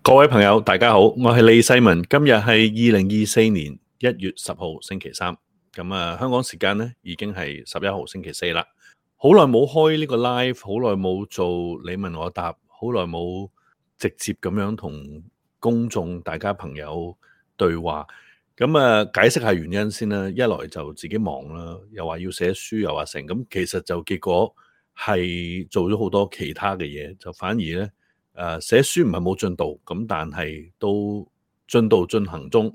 各位朋友，大家好，我係李世民。今日係2024年1月10號星期三。香港時間呢已經係11號星期四啦。好耐冇開呢個 live，好耐冇做你問我答，好耐冇直接咁樣同公眾大家朋友對話。解釋下原因先啦。一來就自己忙啦，又話要寫書，又話成。咁其實就結果係做咗好多其他嘅嘢，就反而呢。寫書唔係冇進度，咁但係都進度進行中。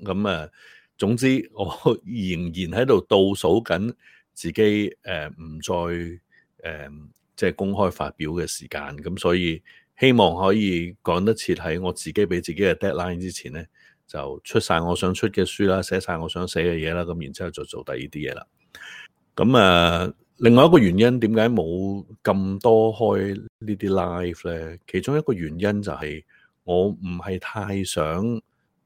總之我仍然喺度倒數緊自己唔再即係公開發表嘅時間。咁所以希望可以趕得切喺我自己俾自己嘅 deadline 之前呢，就出晒我想出嘅書啦，寫晒我想寫嘅嘢啦，咁然之後就做第二啲嘢啦。另外一個原因點解冇咁多開呢啲 live 呢？其中一個原因就係我唔係太想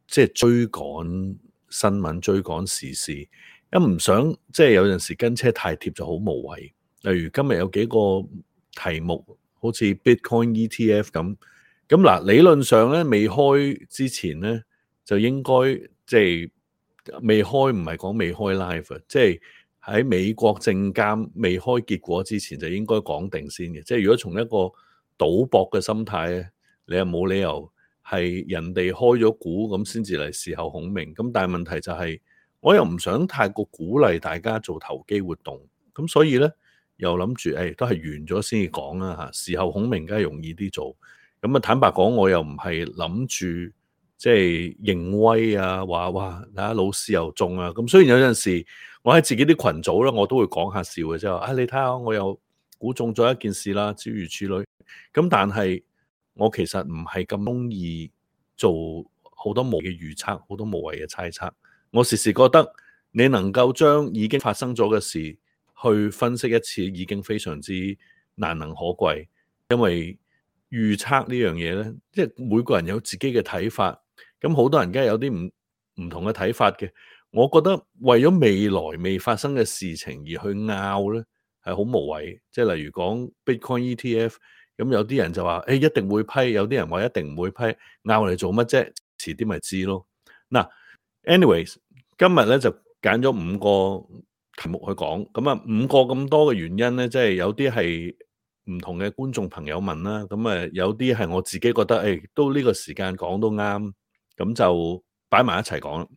即係追趕新聞、追趕時事，一唔想即係有陣時跟車太貼就好無謂。例如今日有幾個題目，好似 Bitcoin ETF 咁。理論上咧未開之前咧就應該即係未開，唔係講未開 live， 即係喺美國證監未開結果之前就應該講定先嘅。即係如果從一個賭博嘅心態咧，你又冇理由係人哋開咗股咁先至嚟事後孔明。咁但係問題就係我又唔想太過鼓勵大家做投機活動，咁所以咧又諗住都係完咗先至講啦嚇。事後孔明梗係容易啲做。坦白講，我又唔係諗住即係認威啊，話哇睇下老師又中啊。咁雖然有陣時我喺自己啲群組咧，我都會講下笑嘅啫。你睇下我又估中咗一件事啦，諸如此類。咁但係我其實唔係咁中意做好多無謂嘅預測，好多無謂嘅猜測。我時時覺得你能夠將已經發生咗嘅事去分析一次，已經非常之難能可貴。因為預測呢樣嘢呢，即係每個人有自己嘅睇法，咁好多人梗係有啲唔同嘅睇法嘅。我覺得為咗未來未發生嘅事情而去拗呢，係好無謂。即係例如講 Bitcoin ETF，咁有啲人就話一定會批，有啲人話一定唔會批，拗嚟做乜啫？遲啲咪知咯。anyways， 今日呢就揀咗5個題目去講。5個咁多嘅原因呢，即係有啲係唔同嘅觀眾朋友問啦，有啲係我自己覺得都呢個時間講都啱，咁就擺埋一齊講啦。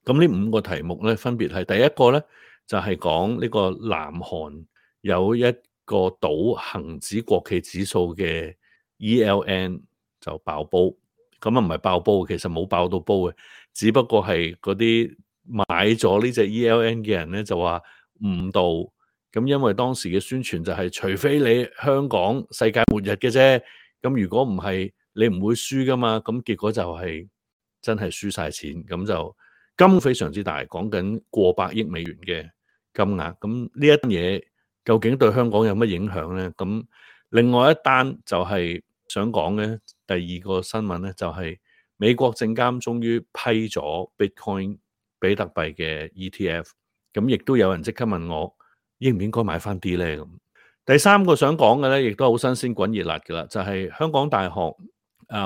咁呢5個題目咧，分別係第一個咧，就係講呢個南韓有一個賭恒指國企指數嘅 ELN 就爆煲。唔係爆煲，其實冇爆到煲嘅，只不過係嗰啲買咗呢隻 ELN 嘅人咧就話誤導。咁因為當時嘅宣傳就係除非你香港世界末日嘅啫，咁如果唔係你唔會輸噶嘛。咁結果就係真係輸晒錢，咁就金非常之大，講緊過百億美元嘅金額。咁呢一單嘢究竟對香港有乜影響呢？咁另外一單就係想講嘅第二個新聞呢，就係美國證監終於批咗 Bitcoin 比特幣嘅 ETF。咁亦都有人即刻問我，應唔應該買翻啲呢？咁第三個想講嘅咧，亦都好新鮮滾熱辣嘅啦，就係香港大學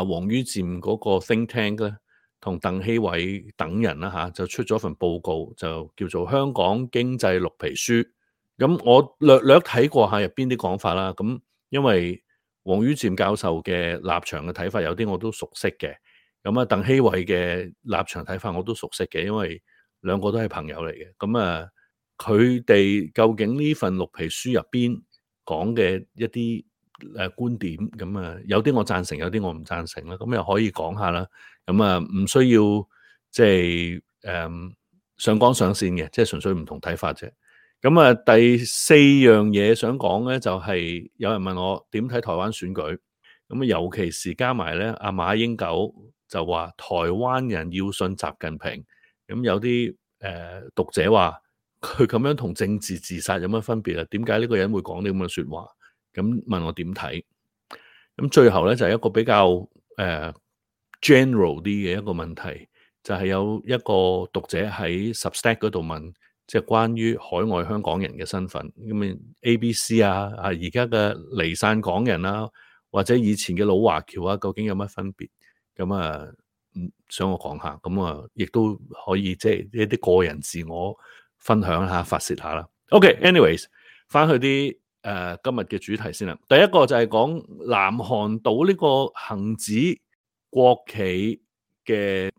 王于漸嗰個 think tank 咧，同鄧希偉等人啦就出咗份報告，就叫做《香港經濟綠皮書》。咁我略睇過下入邊啲講法啦。咁因為王于漸教授嘅立場嘅睇法有啲我都熟悉嘅，鄧希偉嘅立場睇法我都熟悉嘅，因為兩個都係朋友嚟嘅。佢哋究竟呢份綠皮書入邊講嘅一啲觀點，有啲我贊成，有啲我唔贊成啦。咁又可以講下啦。唔需要即係上綱上線嘅，即係純粹唔同睇法啫。第四樣嘢想講咧，就係有人問我點睇台灣選舉。尤其是加埋咧，阿馬英九就話台灣人要信習近平。有啲讀者話佢咁樣同政治自殺有乜分別啊？點解呢個人會講啲咁嘅說話？咁問我點睇？最後咧就係一個比較general 啲嘅一個問題，就係有一個讀者喺 Substack 嗰度問，即係關於海外香港人嘅身份。ABC 而家嘅離散港人啦，或者以前嘅老華僑啊，究竟有乜分別？咁啊，想我講下，咁啊，亦都可以即係一啲個人自我分享下、發泄下啦。OK，anyways，翻去啲今日嘅主題先啦。第一個就係講南韓賭呢個恒指國企嘅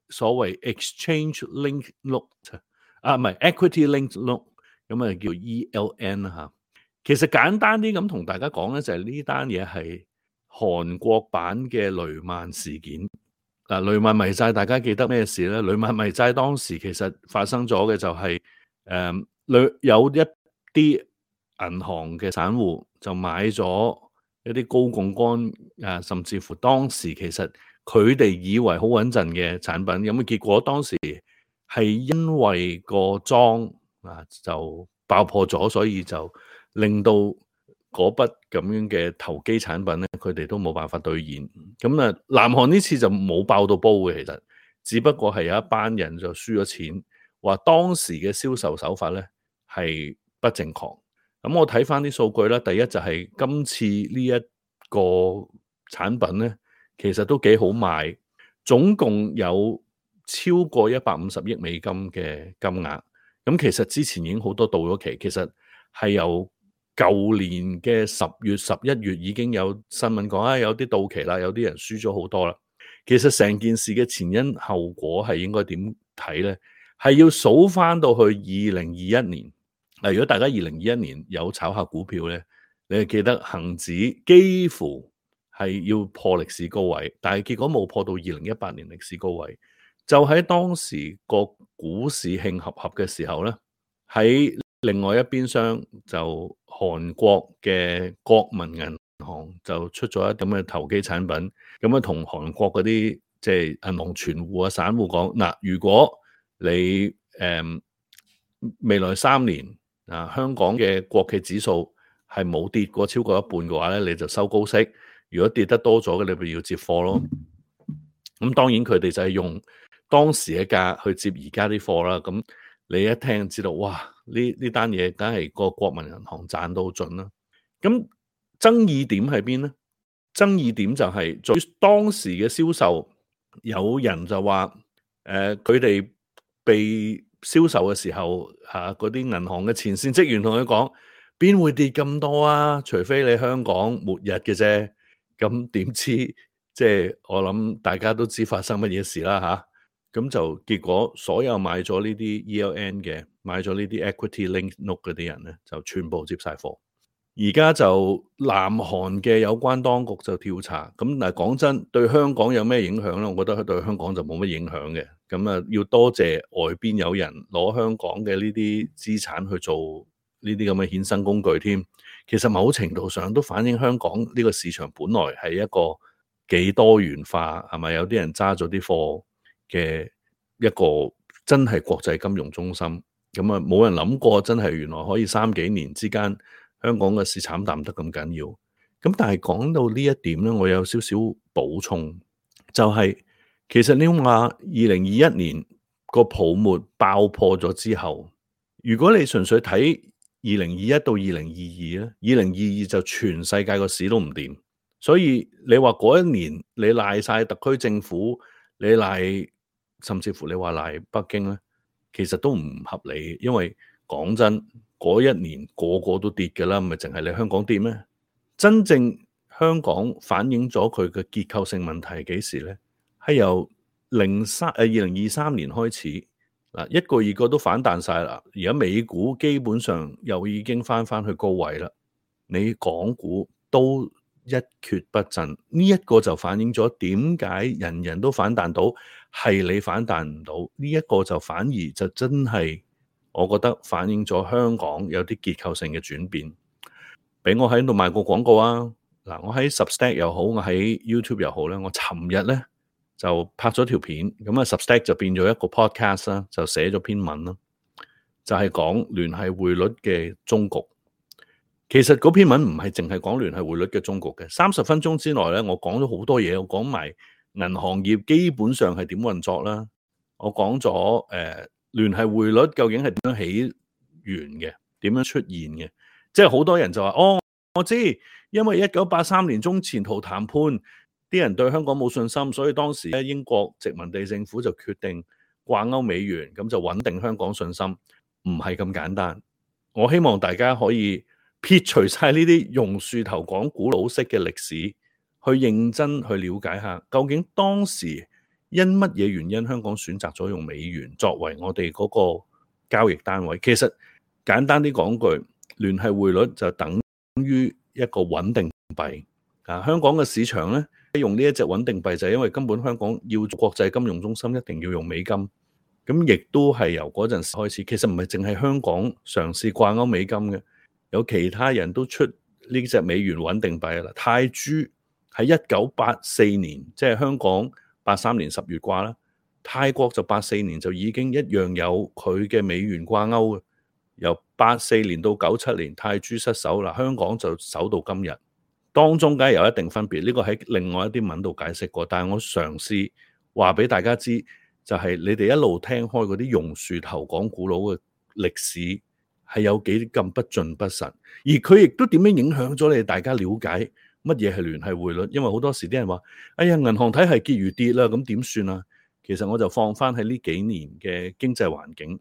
所謂 exchange link note 唔係 equity link note， 咁啊叫 ELN 啦嚇。其實簡單啲咁同大家講咧，就係呢單嘢係韓國版嘅雷曼事件。雷曼迷債大家記得咩事咧？雷曼迷債當時其實發生咗嘅就係有一啲銀行嘅散戶就買咗一啲高槓桿甚至乎當時其實佢哋以為好穩陣嘅產品，咁結果當時係因為個莊就爆破咗，所以就令到嗰筆咁樣嘅投機產品咧，佢哋都冇辦法兌現。咁啊，南韓呢次就冇爆到煲嘅，其實只不過係有一班人就輸咗錢，話當時嘅銷售手法咧係不正確。咁我睇翻啲數據啦，第一就係今次呢一個產品咧，其實都幾好賣，總共有超過150億美金嘅金額。咁其實之前已經好多到咗期，其實係由舊年嘅10月、11月已經有新聞講有啲到期啦，有啲人輸咗好多啦。其實成件事嘅前因後果係應該點睇呢？係要數翻到去2021年。如果大家2021年有炒下股票呢，你係記得恒指幾乎係要破歷史高位，但係結果冇破到2018年歷史高位。就喺當時個股市興合合嘅時候呢，喺另外一邊廂就韓國嘅國民銀行就出咗一啲咁嘅投機產品，咁啊同韓國嗰啲即係銀行存戶啊散戶講，嗱，如果你未來3年香港嘅國企指數係冇跌過超過一半嘅話咧，你就收高息；如果跌得多咗嘅，你咪要接貨咯。咁當然佢哋就係用當時嘅價去接而家啲貨啦。咁你一聽知道，哇！呢單嘢梗係個國民銀行賺到盡啦。咁爭議點喺邊咧？爭議點就係在於當時嘅銷售，有人就話佢哋被銷售嘅時候嗰啲銀行嘅前線職員同佢講，邊會跌咁多啊？除非你香港末日嘅啫。咁點知即係我諗大家都知發生乜嘢事啦嚇。咁就結果所有買咗呢啲 ELN 嘅，買咗呢啲 equity link note 嗰啲人咧，就全部接晒貨。而家就南韓嘅有關當局就調查，咁但係講真，對香港有咩影響咧？我覺得對香港就冇乜影響嘅。咁啊，要多謝外邊有人攞香港嘅呢啲資產去做呢啲咁嘅衍生工具添。其實某程度上都反映香港呢個市場本來係一個幾多元化，係咪？有啲人揸咗啲貨嘅一個真係國際金融中心。咁啊，冇人諗過真係原來可以3幾年之間，香港嘅市慘淡得咁緊要。咁但係講到呢一點咧，我有少少補充，就係其實你話2021年個泡沫爆破咗之後，如果你純粹睇2021到2022咧，2022就全世界個市都唔掂，所以你話嗰一年你賴晒特區政府，你賴甚至乎你話賴北京咧，其實都唔合理，因為講真，嗰一年個個都跌㗎啦，咪淨係你香港跌咩？真正香港反映咗佢嘅結構性問題幾時咧？係由2023年開始，一個二個都反彈晒啦。而家美股基本上又已經翻去高位啦，你港股都一蹶不振。呢一個就反映咗點解人人都反彈到，係你反彈唔到。呢一個就反而就真係，我覺得反映咗香港有啲結構性嘅轉變。俾我喺度賣個廣告啊！嗱，我喺 Substack 又好，我喺 YouTube 又好咧，我尋日咧就拍咗條片，咁啊 Substack 就變咗一個 podcast 啦，就寫咗篇文啦，就係講聯繫匯率嘅終局。其實嗰篇文唔係淨係講聯繫匯率嘅終局嘅，30分鐘之內咧，我講咗好多嘢，我講埋銀行業基本上係點運作啦，我講咗聯繫匯率究竟係點樣起源嘅，點樣出現嘅。即係好多人就話，我知，因為1983年中前途談判，啲人對香港冇信心，所以當時咧英國殖民地政府就決定掛鈎美元，咁就穩定香港信心，唔係咁簡單。我希望大家可以撇除晒呢啲榕樹頭講古老式嘅歷史，去認真去了解下，究竟當時因乜嘢原因香港選擇咗用美元作為我哋嗰個交易單位。其實簡單啲講句，聯繫匯率就等於一個穩定幣。香港嘅市場咧用呢一隻穩定幣就係因為根本香港要做國際金融中心一定要用美金，咁亦都係由嗰陣時開始。其實唔係淨係香港嘗試掛鈎美金嘅，有其他人都出呢隻美元穩定幣啦。泰銖喺1984年，即係香港83年10月掛啦，泰國就84年就已經一樣有佢嘅美元掛鈎嘅。由84年到97年，泰銖失守啦，香港就守到今日。當中梗係有一定分別，呢個喺另外一啲文度解釋過，但係我嘗試話俾大家知，就係你哋一路聽開嗰啲榕樹頭講古老嘅歷史係有幾咁不盡不實，而佢亦都點樣影響咗你哋大家了解乜嘢係聯繫匯率。因為好多時啲人話，哎呀，銀行體系結餘跌啦，咁點算啊？其實我就放翻喺呢幾年嘅經濟環境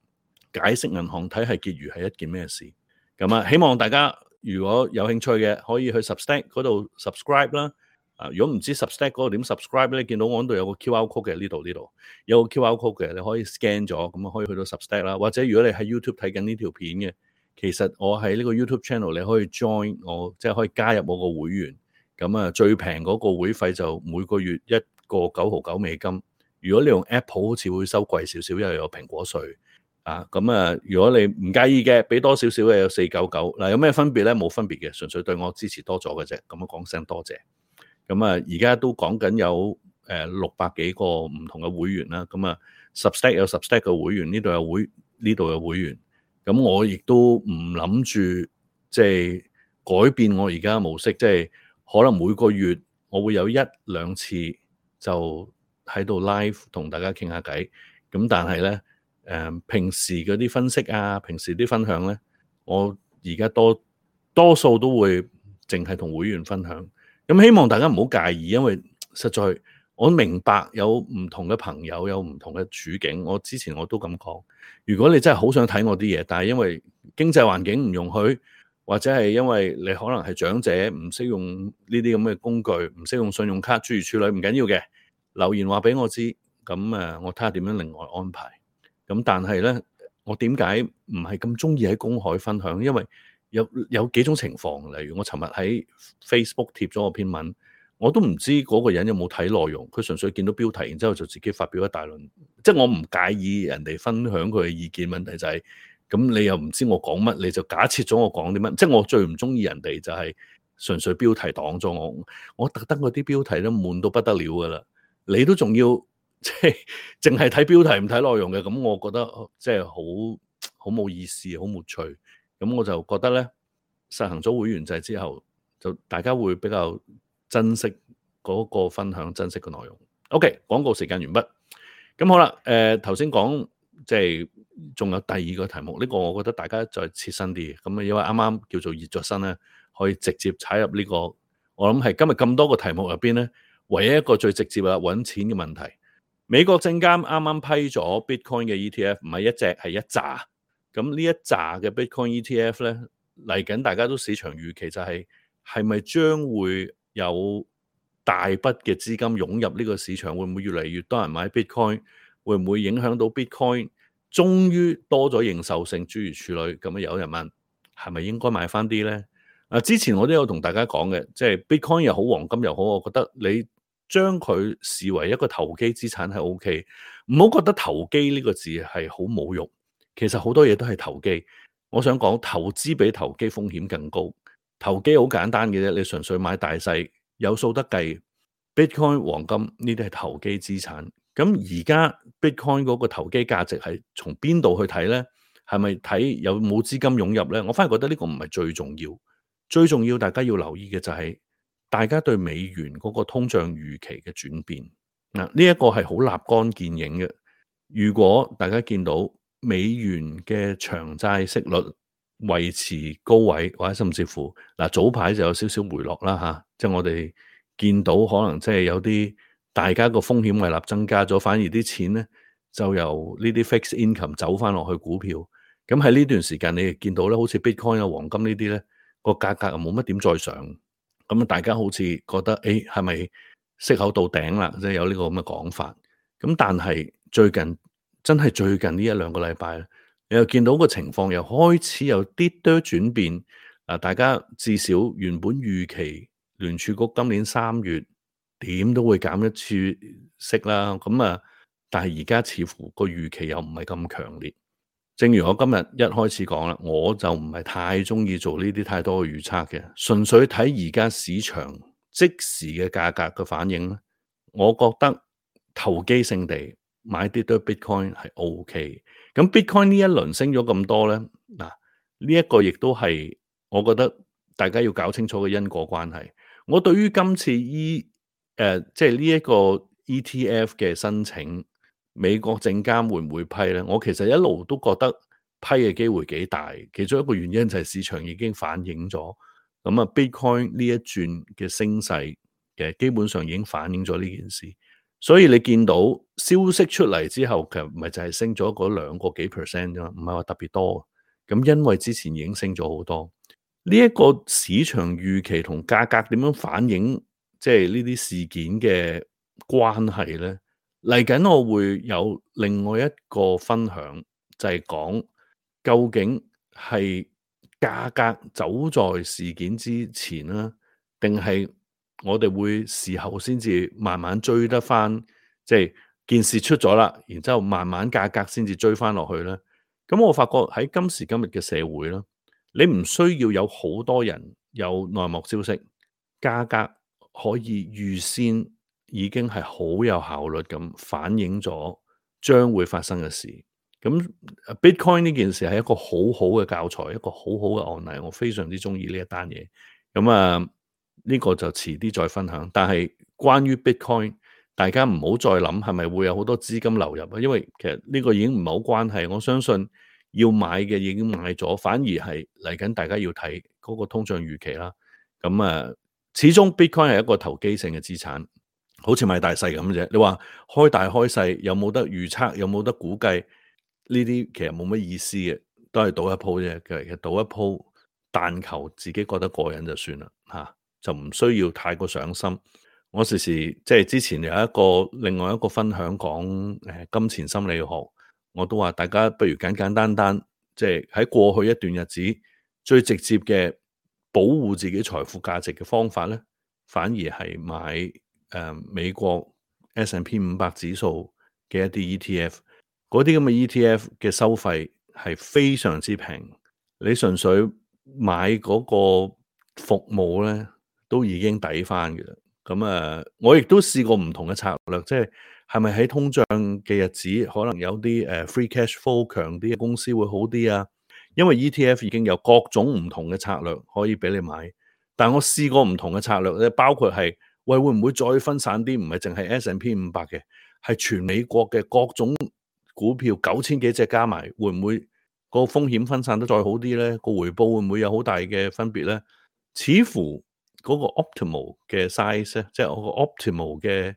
解釋銀行體系結餘係一件咩事。咁希望大家如果有興趣嘅，可以去 Substack 嗰度 subscribe 啦。如果唔知 Substack 嗰度點 subscribe 咧，見到我嗰度有個 QR code 嘅，呢度有個 QR code 嘅，你可以 scan 咗，咁可以去到 Substack 啦。或者如果你喺 YouTube 睇緊呢條片嘅，其實我喺呢個 YouTube channel 你可以 join 我，即係可以加入我個會員。咁最平嗰個會費就每個月1個9毫9美金。如果你用 Apple 好似會收貴少少，因為有蘋果稅。如果你唔介意嘅，俾多少少嘅有499。嗱，有咩分別咧？冇分別嘅，純粹對我支持多咗嘅啫。咁講聲多謝。而家都講緊有600幾個唔同嘅會員啦。Substack 有 Substack 嘅會員，呢度有會員。咁我亦都唔諗住即係改變我而家嘅模式，即係可能每個月我會有1-2次就喺度 live 同大家傾下偈。咁但係咧平時嗰啲分析啊，平時啲分享咧，我而家多數都會淨係同會員分享。咁希望大家唔好介意，因為實在我明白有唔同嘅朋友有唔同嘅處境。我之前我都咁講，如果你真係好想睇我啲嘢，但係因為經濟環境唔容許，或者係因為你可能係長者唔識用呢啲咁嘅工具，唔識用信用卡諸如此類，唔緊要嘅，留言話俾我知，咁我睇下點樣另外安排。咁但係咧，我點解唔係咁中意喺公海分享？因為有幾種情況，例如我尋日喺 Facebook 貼咗個篇文，我都唔知嗰個人有冇睇內容，佢純粹見到標題，然之後就自己發表一大輪。即係我唔介意人哋分享佢嘅意見，問題就係咁你又唔知我講乜，你就假設咗我講啲乜。即係我最唔中意人哋就係純粹標題擋咗我。我特登嗰啲標題都悶到不得了噶啦，你都仲要即係淨係睇標題唔睇內容嘅，咁我覺得即係好冇意思，好沒趣。咁我就覺得咧，實行咗會員制之後，就大家會比較珍惜嗰個分享，珍惜個內容。OK， 廣告時間完畢。咁好啦，頭先講即係仲有第二個題目，呢個我覺得大家再切身啲。咁因為啱啱叫做熱咗身咧，可以直接踩入呢個，我諗係今日咁多個題目入邊咧，唯一一個最直接啦，揾錢嘅問題。美國證監啱啱批咗 Bitcoin 嘅 ETF， 唔係一隻，係一紮。咁呢一紮嘅 Bitcoin ETF 咧，嚟緊大家都市場預期就係咪將會有大筆嘅資金湧入呢個市場？會唔會越嚟越多人買 Bitcoin？ 會唔會影響到 Bitcoin 終於多咗認受性諸如此類？咁有人問係咪應該買翻啲咧？之前我都有同大家講嘅，即係 Bitcoin 又好，黃金又好，我覺得你將佢視為一個投機資產係 OK， 唔好覺得投機呢個字係好侮辱。其實好多嘢都係投機，我想講投資比投機風險更高。投機好簡單嘅啫，你純粹買大細有數得計。Bitcoin、黃金呢啲係投機資產。咁而家 Bitcoin 嗰個投機價值係從邊度去睇咧？係咪睇有冇資金湧入咧？我反而覺得呢個唔係最重要，最重要大家要留意嘅就係大家對美元嗰個通脹預期嘅轉變。呢一個係好立竿見影嘅。如果大家見到美元嘅長債息率維持高位，或者甚至乎早排就有少少回落啦吓，即係我哋見到可能即係有啲大家個風險胃納增加咗，反而啲錢咧就由呢啲 fixed income 走翻落去股票。咁喺呢段時間你亦見到咧，好似 Bitcoin 啊、黃金呢啲咧個價格又冇乜點再上。咁大家好似覺得誒係咪息口到頂啦？即係有呢個咁嘅講法。咁但係最近真係最近呢一兩個禮拜咧，你又見到個情況又開始有啲多轉變。大家至少原本預期聯儲局今年3月點都會減一次息啦。咁但係而家似乎個預期又唔係咁強烈。正如我今日一開始講啦，我就唔係太中意做呢啲太多嘅預測嘅，純粹睇而家市場即時嘅價格嘅反應咧，我覺得投機性地買啲多 Bitcoin 係 OK。咁 Bitcoin 呢一輪升咗咁多咧，嗱呢一個亦都係我覺得大家要搞清楚嘅因果關係。我對於今次即係呢一個 ETF 嘅申請，美國證監會唔會批咧？我其實一路都覺得批嘅機會幾大，其中一個原因就係市場已經反映咗。咁Bitcoin 呢一轉嘅升勢嘅基本上已經反映咗呢件事。所以你見到消息出嚟之後，其實唔係就係升咗嗰2個幾%啫嘛，唔係話特別多。咁因為之前已經升咗好多，呢一個市場預期同價格點樣反映，即係呢啲事件嘅關係咧？嚟緊我會有另外一個分享，就係講究竟係價格走在事件之前啦，定係我哋會事後先至慢慢追得翻，即係件事出咗啦，然之後慢慢價格先至追翻落去咧。咁我發覺喺今時今日嘅社會啦，你唔需要有好多人有內幕消息，價格可以預先已經係好有效率咁反映咗將會發生嘅事。咁 Bitcoin 呢件事係一個好好嘅教材，一個好好嘅案例，我非常之中意呢一單嘢。咁呢個就遲啲再分享。但係關於 Bitcoin，大家唔好再諗係咪會有好多資金流入啊，因為其實呢個已經唔係好關係。我相信要買嘅已經買咗，反而係嚟緊大家要睇嗰個通脹預期啦。咁始終 Bitcoin 係一個投機性嘅資產，好似買大細咁啫。你話開大開細有冇得預測，有冇得估計？呢啲其實冇乜意思嘅，都係賭一鋪啫。其實賭一鋪，但求自己覺得過癮就算啦，就唔需要太過上心。我時時即係之前有另外一個分享講金錢心理學，我都話大家不如簡簡單單，即係喺過去一段日子最直接嘅保護自己財富價值嘅方法咧，反而係買美國 S&P 500指數嘅一啲 ETF。嗰啲咁嘅 ETF 嘅收費係非常之平，你純粹買嗰個服務咧，都已經抵翻嘅啦。咁我亦都試過唔同嘅策略，即係咪喺通脹嘅日子，可能有啲free cash flow 強啲嘅公司會好啲啊？因為 ETF 已經有各種唔同嘅策略可以俾你買，但我試過唔同嘅策略咧，包括係會唔會再分散啲？唔係淨係 S&P 500嘅，係全美國嘅各種股票9000幾隻加埋，會唔會個風險分散得再好啲咧？個回報會唔會有好大嘅分別咧？似乎嗰個 optimal 嘅 size 咧，即係我個 optimal 嘅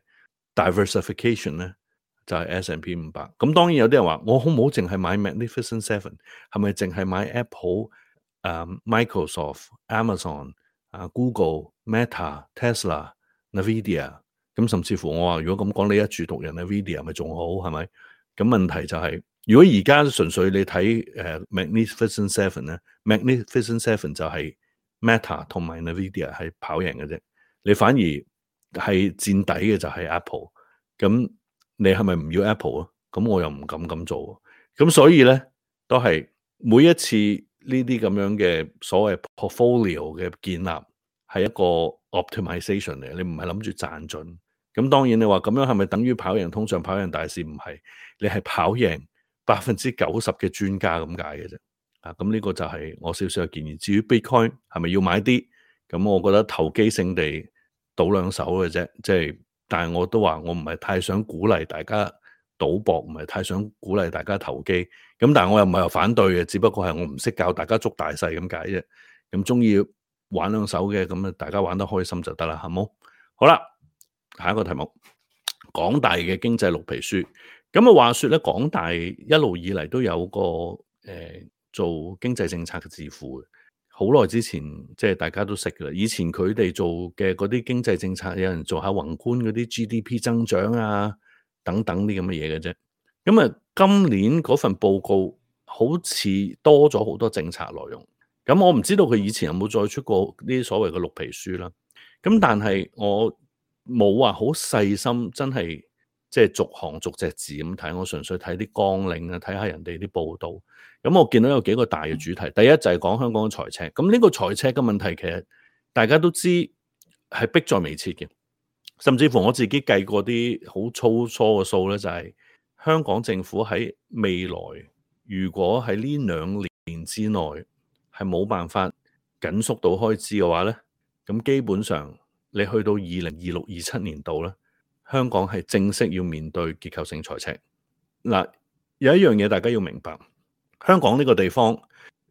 diversification 咧，就係 S&P 500。咁當然有啲人話，我好唔好淨係買 Magnificent Seven？係咪淨係買 Apple、Microsoft、Amazon、Google、Meta、Tesla、Nvidia？咁甚至乎我話，如果咁講，你一注獨人 Nvidia 咪仲好係咪？咁問題就係，如果而家純粹你睇Magnificent Seven 咧，Magnificent Seven 就係 Meta 同埋 Nvidia 係跑贏嘅啫，你反而係墊底嘅就係 Apple。咁你係咪唔要 Apple 啊？咁我又唔敢咁做。咁所以咧，都係每一次呢啲咁樣嘅所謂 portfolio 嘅建立，係一個 optimization 嚟，你唔係諗住賺盡。咁當然你話咁樣係咪等於跑贏通脹、跑贏大市？唔係，你係跑贏90%嘅專家咁解嘅啫。咁呢個就係我少少嘅建議。至於 Bitcoin 係咪要買啲？咁我覺得投機性地賭2手嘅啫。即係，但係我都話我唔係太想鼓勵大家賭博，唔係太想鼓勵大家投機。咁但係我又唔係話反對嘅，只不過係我唔識教大家捉大細咁解啫。咁中意玩2手嘅，咁大家玩得開心就得啦，係冇？好啦，下一個題目，港大嘅經濟綠皮書。咁啊，話說咧，港大一路以嚟都有個做經濟政策嘅智庫嘅。好耐之前，即係大家都識㗎啦。以前佢哋做嘅嗰啲經濟政策，有人做下宏觀嗰啲 GDP 增長啊，等等啲咁嘅嘢嘅啫。咁啊，今年嗰份報告好似多咗好多政策內容。咁我唔知道佢以前有冇再出過呢啲所謂嘅綠皮書啦。咁但係我冇話好細心，真係即係逐行逐隻字咁睇，我純粹睇啲綱領啊，睇下人哋啲報道。咁我見到有幾個大嘅主題，第一就係講香港嘅財赤。咁呢個財赤嘅問題其實大家都知係迫在眉睫嘅，甚至乎我自己計過啲好粗疏嘅數咧，就係香港政府喺未來如果喺呢2年之內係冇辦法緊縮到開支嘅話咧，咁基本上你去到2026-27年度咧，香港係正式要面對結構性財赤。嗱，有一樣嘢大家要明白，香港呢個地方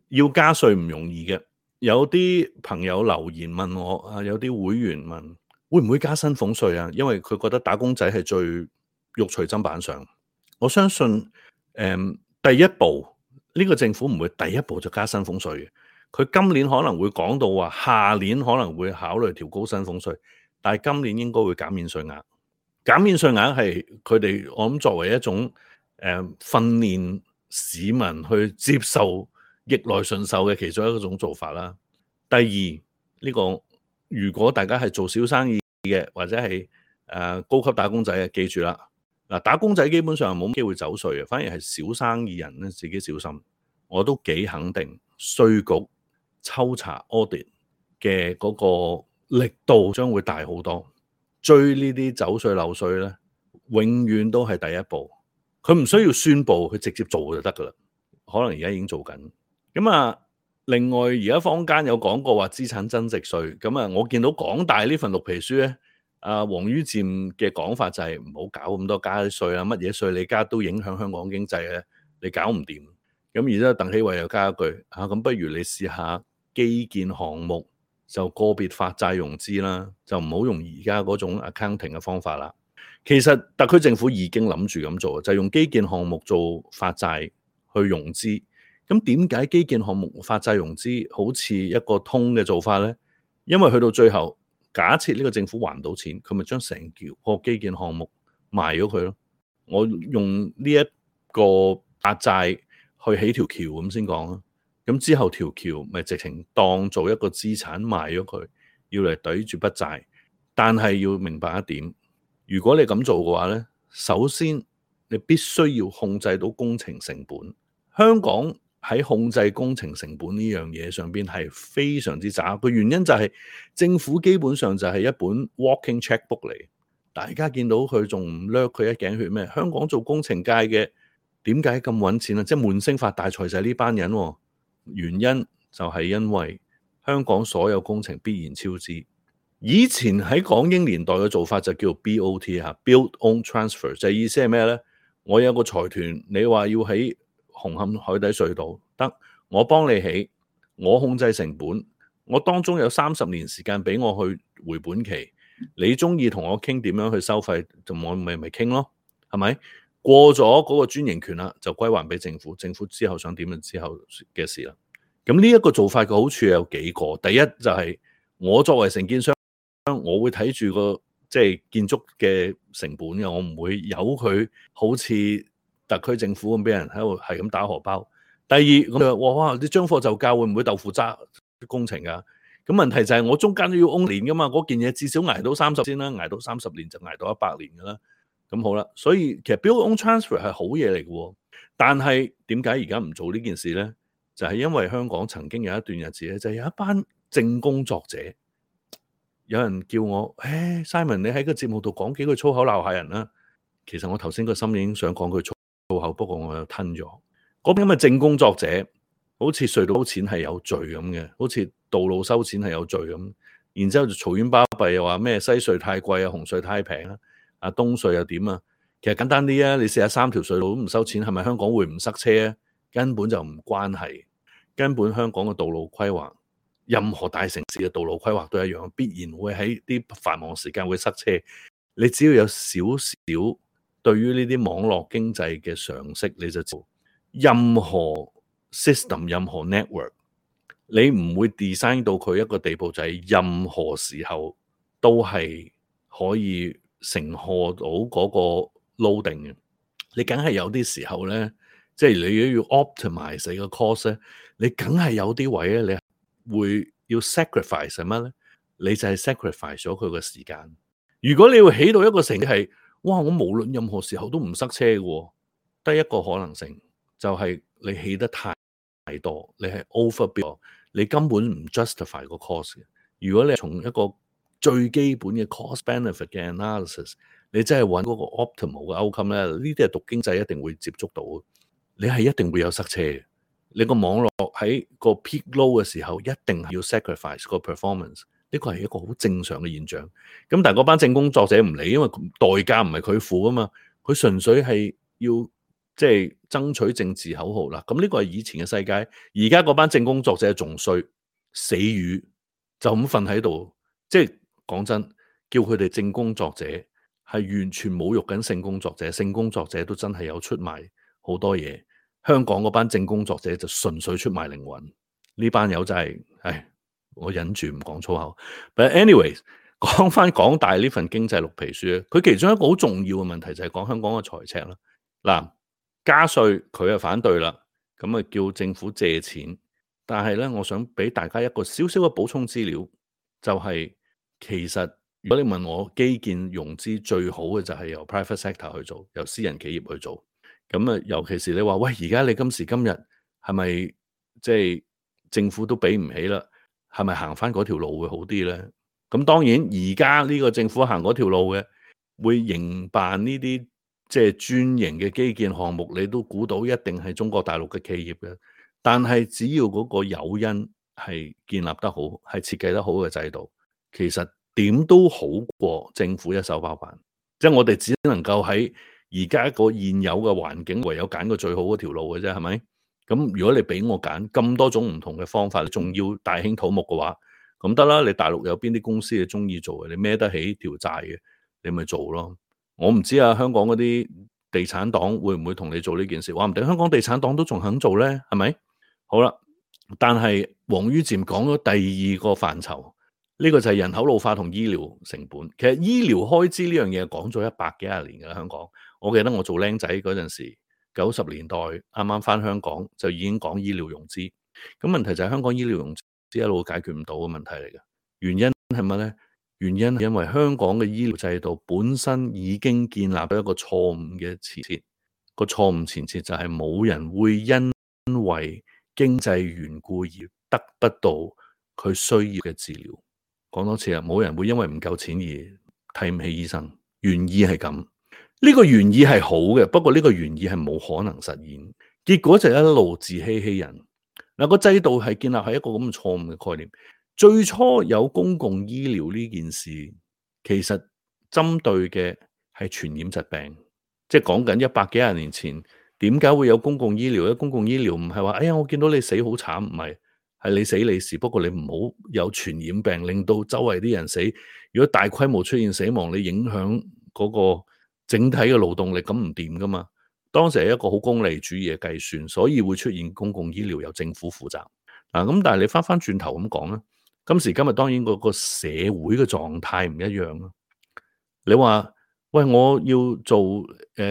要加稅唔容易嘅。有啲朋友留言問我啊，有啲會員問會唔會加薪俸稅啊？因為佢覺得打工仔係最肉隨砧板上。我相信第一步呢個政府唔會第一步就加薪俸稅嘅。佢今年可能會講到話，下年可能會考慮調高薪俸稅，但係今年應該會減免稅額。減免稅額係佢哋我諗作為一種訓練市民去接受逆來順受嘅其中一種做法啦。第二呢個如果大家係做小生意嘅或者係高級打工仔嘅，記住啦，嗱，打工仔基本上冇機會走稅嘅，反而係小生意人咧自己小心。我都幾肯定稅局抽查 audit 嘅嗰個力度將會大好多。追呢啲走稅漏稅咧，永遠都係第一步。佢唔需要宣佈，佢直接做就得噶啦。可能而家已經做緊。咁啊，另外而家坊間有講過話資產增值稅。咁啊，我見到港大呢份綠皮書咧，王于漸嘅講法就係唔好搞咁多加稅啊，乜嘢稅你加都影響香港經濟嘅，你搞唔掂。咁而家鄧希偉又加一句咁不如你試下基建項目就個別發債融資啦，就唔好用而家嗰種 accounting 嘅方法啦。其實特區政府已經諗住咁做，就係用基建項目做發債去融資。咁點解基建項目發債融資好似一個通嘅做法呢？因為去到最後，假設呢個政府還唔到錢，佢咪將成個基建項目賣咗佢咯。我用呢一個發債去起條橋咁先講啦。咁之後條橋咪直情當做一個資產賣咗佢，要嚟抵住筆債。但係要明白一點，如果你咁做嘅話呢，首先你必須要控制到工程成本。香港喺控制工程成本呢樣嘢上邊係非常之渣。個原因就係政府基本上就係一本 walking checkbook 嚟。大家見到佢仲唔掠佢一頸血咩？香港做工程界嘅點解咁揾錢啊？即係悶聲發大財就係呢班人。原因就係因為香港所有工程必然超支。以前喺港英年代嘅做法就叫 BOT，Build Own Transfer， 就係意思係咩呢？我有個財團，你話要起紅磡海底隧道，得，我幫你起，我控制成本，我當中有30年時間俾我去回本期，你中意同我傾點樣去收費，就我咪傾咯，係咪？過咗嗰個專營權啦，就歸還俾政府，政府之後想點就之後嘅事啦。咁呢一個做法嘅好處有幾個，第一就係我作為承建商，我會睇住個即係建築嘅成本嘅，我唔會由佢好似特區政府咁俾人喺度係咁打荷包。第二，咁就哇，你將貨就價會唔會豆腐渣工程㗎？咁問題就係我中間都要 own 年㗎嘛，嗰件嘢至少捱到30先啦，捱到30年就捱到100年㗎啦。咁好啦，所以其實 Build Own Transfer 係好嘢嚟嘅，但係點解而家唔做呢件事咧？就係因為香港曾經有一段日子咧，就係有一班正工作者，有人叫我，Simon 你喺個節目度講幾句粗口鬧下人啦。其實我頭先個心已經想講句粗口，不過我又吞咗。嗰邊咁嘅正工作者，好似隧道收錢係有罪咁嘅，好似道路收錢係有罪咁，然之後就嘈冤巴閉又話咩西隧太貴啊，紅隧太平啊，東隧又點啊？其實簡單啲啊，你試下3條隧道都唔收錢，係咪香港會唔塞車啊？根本就唔關係，根本香港嘅道路規劃任何大城市嘅道路規劃都一樣，必然會喺啲繁忙時間會塞車。你只要有少少對於呢啲網絡經濟嘅常識，你就知道任何 system、任何 network，你唔會 design 到佢一個地步，就係任何時候都係可以承荷到嗰個 loading 嘅。你梗係有啲時候咧，即係你要 optimize 你個 cost 咧，你梗係有啲位咧，你會要 sacrifice 係乜咧？你就係 sacrifice 咗佢個時間。如果你要起到一個城市係，哇！我無論任何時候都唔塞車嘅，得一個可能性就係你起得太多，你係 overbuild，你根本唔 justify 個 cost 嘅。如果你從一個最基本嘅 cost benefit 嘅 analysis，你真係揾嗰個 optimal 嘅 outcome 咧，呢啲係讀經濟一定會接觸到嘅。你係一定會有塞車嘅。你個網絡喺個 peak low 嘅時候，一定係要 sacrifice 個 performance。呢個係一個好正常嘅現象。咁但係嗰班政工作者唔理，因為代價唔係佢付啊嘛，佢純粹係要即係爭取政治口號啦。咁呢個係以前嘅世界，而家嗰班政工作者仲衰，死魚就咁瞓喺度。即係講真，叫佢哋政工作者係完全侮辱緊性工作者，性工作者都真係有出賣好多嘢。香港嗰班政工作者就純粹出賣靈魂。呢班友真係，唉。我忍住唔講粗口。But anyways， 講翻港大呢份經濟綠皮書，佢其中一個好重要嘅問題就係講香港嘅財赤啦。嗱，加稅佢就反對啦，咁啊叫政府借錢。但係咧，我想俾大家一個少少嘅補充資料，就係其實如果你問我基建融資最好嘅就係由 private sector 去做，由私人企業去做。咁啊，尤其是你話喂，而家你今時今日係咪即係政府都俾唔起啦？係咪行翻嗰條路會好啲咧？咁當然而家呢個政府行嗰條路嘅，會營辦呢啲即係專營嘅基建項目，你都估到一定係中國大陸嘅企業嘅。但係只要嗰個誘因係建立得好，係設計得好嘅制度，其實點都好過政府一手包辦。即係我哋只能夠喺而家一個現有嘅環境，唯有揀個最好嗰條路嘅啫，係咪？咁如果你俾我揀咁多種唔同嘅方法，你仲要大興土木嘅話，咁得啦。你大陸有邊啲公司你中意做嘅，你孭得起條債嘅，你咪做咯。我唔知啊，香港嗰啲地產黨會唔會同你做呢件事？話唔定香港地產黨都仲肯做咧，係咪？好啦，但係王于漸講咗第二個範疇，呢個就係人口老化同醫療成本。其實醫療開支呢樣嘢講咗100幾廿年㗎啦，香港。我記得我做僆仔嗰陣時，90年代啱啱返香港就已經講醫療融資。咁問題就係香港醫療融資一路解決唔到嘅問題嚟嘅。原因係乜咧？原因係因為香港嘅醫療制度本身已經建立咗一個錯誤嘅前設。個錯誤前設就係冇人會因為經濟緣故而得不到佢需要嘅治療。講多次啊，冇人會因為唔夠錢而睇唔起醫生。原意係咁。呢個原意係好嘅，不過呢個原意係冇可能實現，結果就一路自欺欺人。嗱，個制度係建立喺一個咁嘅錯誤嘅概念。最初有公共醫療呢件事，其實針對嘅係傳染疾病，即係講緊100幾廿年前，點解會有公共醫療咧？公共醫療唔係話，哎呀，我見到你死好慘，唔係，係你死你事。不過你唔好有傳染病，令到周圍啲人死。如果大規模出現死亡，你影響嗰個整體嘅勞動力，咁唔掂噶嘛。當時係一個好功利主義嘅計算，所以會出現公共醫療由政府負責。咁但係你翻轉頭咁講咧，今時今日當然個社會嘅狀態唔一樣啦。你話喂，我要做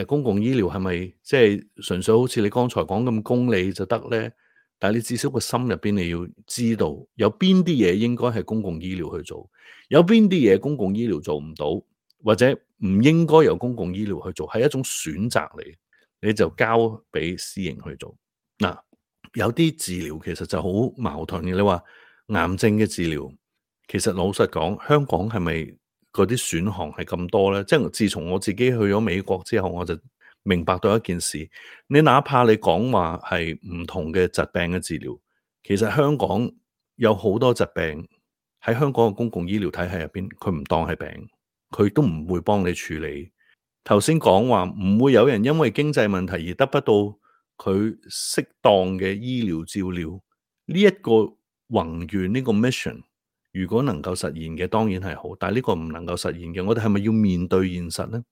公共醫療係咪即係純粹好似你剛才講咁功利就得咧？但係你至少個心入邊你要知道，有邊啲嘢應該係公共醫療去做，有邊啲嘢公共醫療做唔到，或者唔應該由公共醫療去做，係一種選擇嚟，你就交俾私營去做。嗱，有啲治療其實就好矛盾嘅。你話癌症嘅治療，其實老實講，香港係咪嗰啲選項係咁多咧？即係自從我自己去咗美國之後，我就明白到一件事，你哪怕你講話係唔同嘅疾病嘅治療，其實香港有好多疾病喺香港嘅公共醫療體系入邊，佢唔當係病，佢都唔會幫你處理。頭先講話唔會有人因為經濟問題而得不到佢適當嘅醫療照料，呢一個宏願呢個 mission，如果能夠實現嘅當然係好，但係呢個唔能夠實現嘅，我哋係咪要面對現實呢？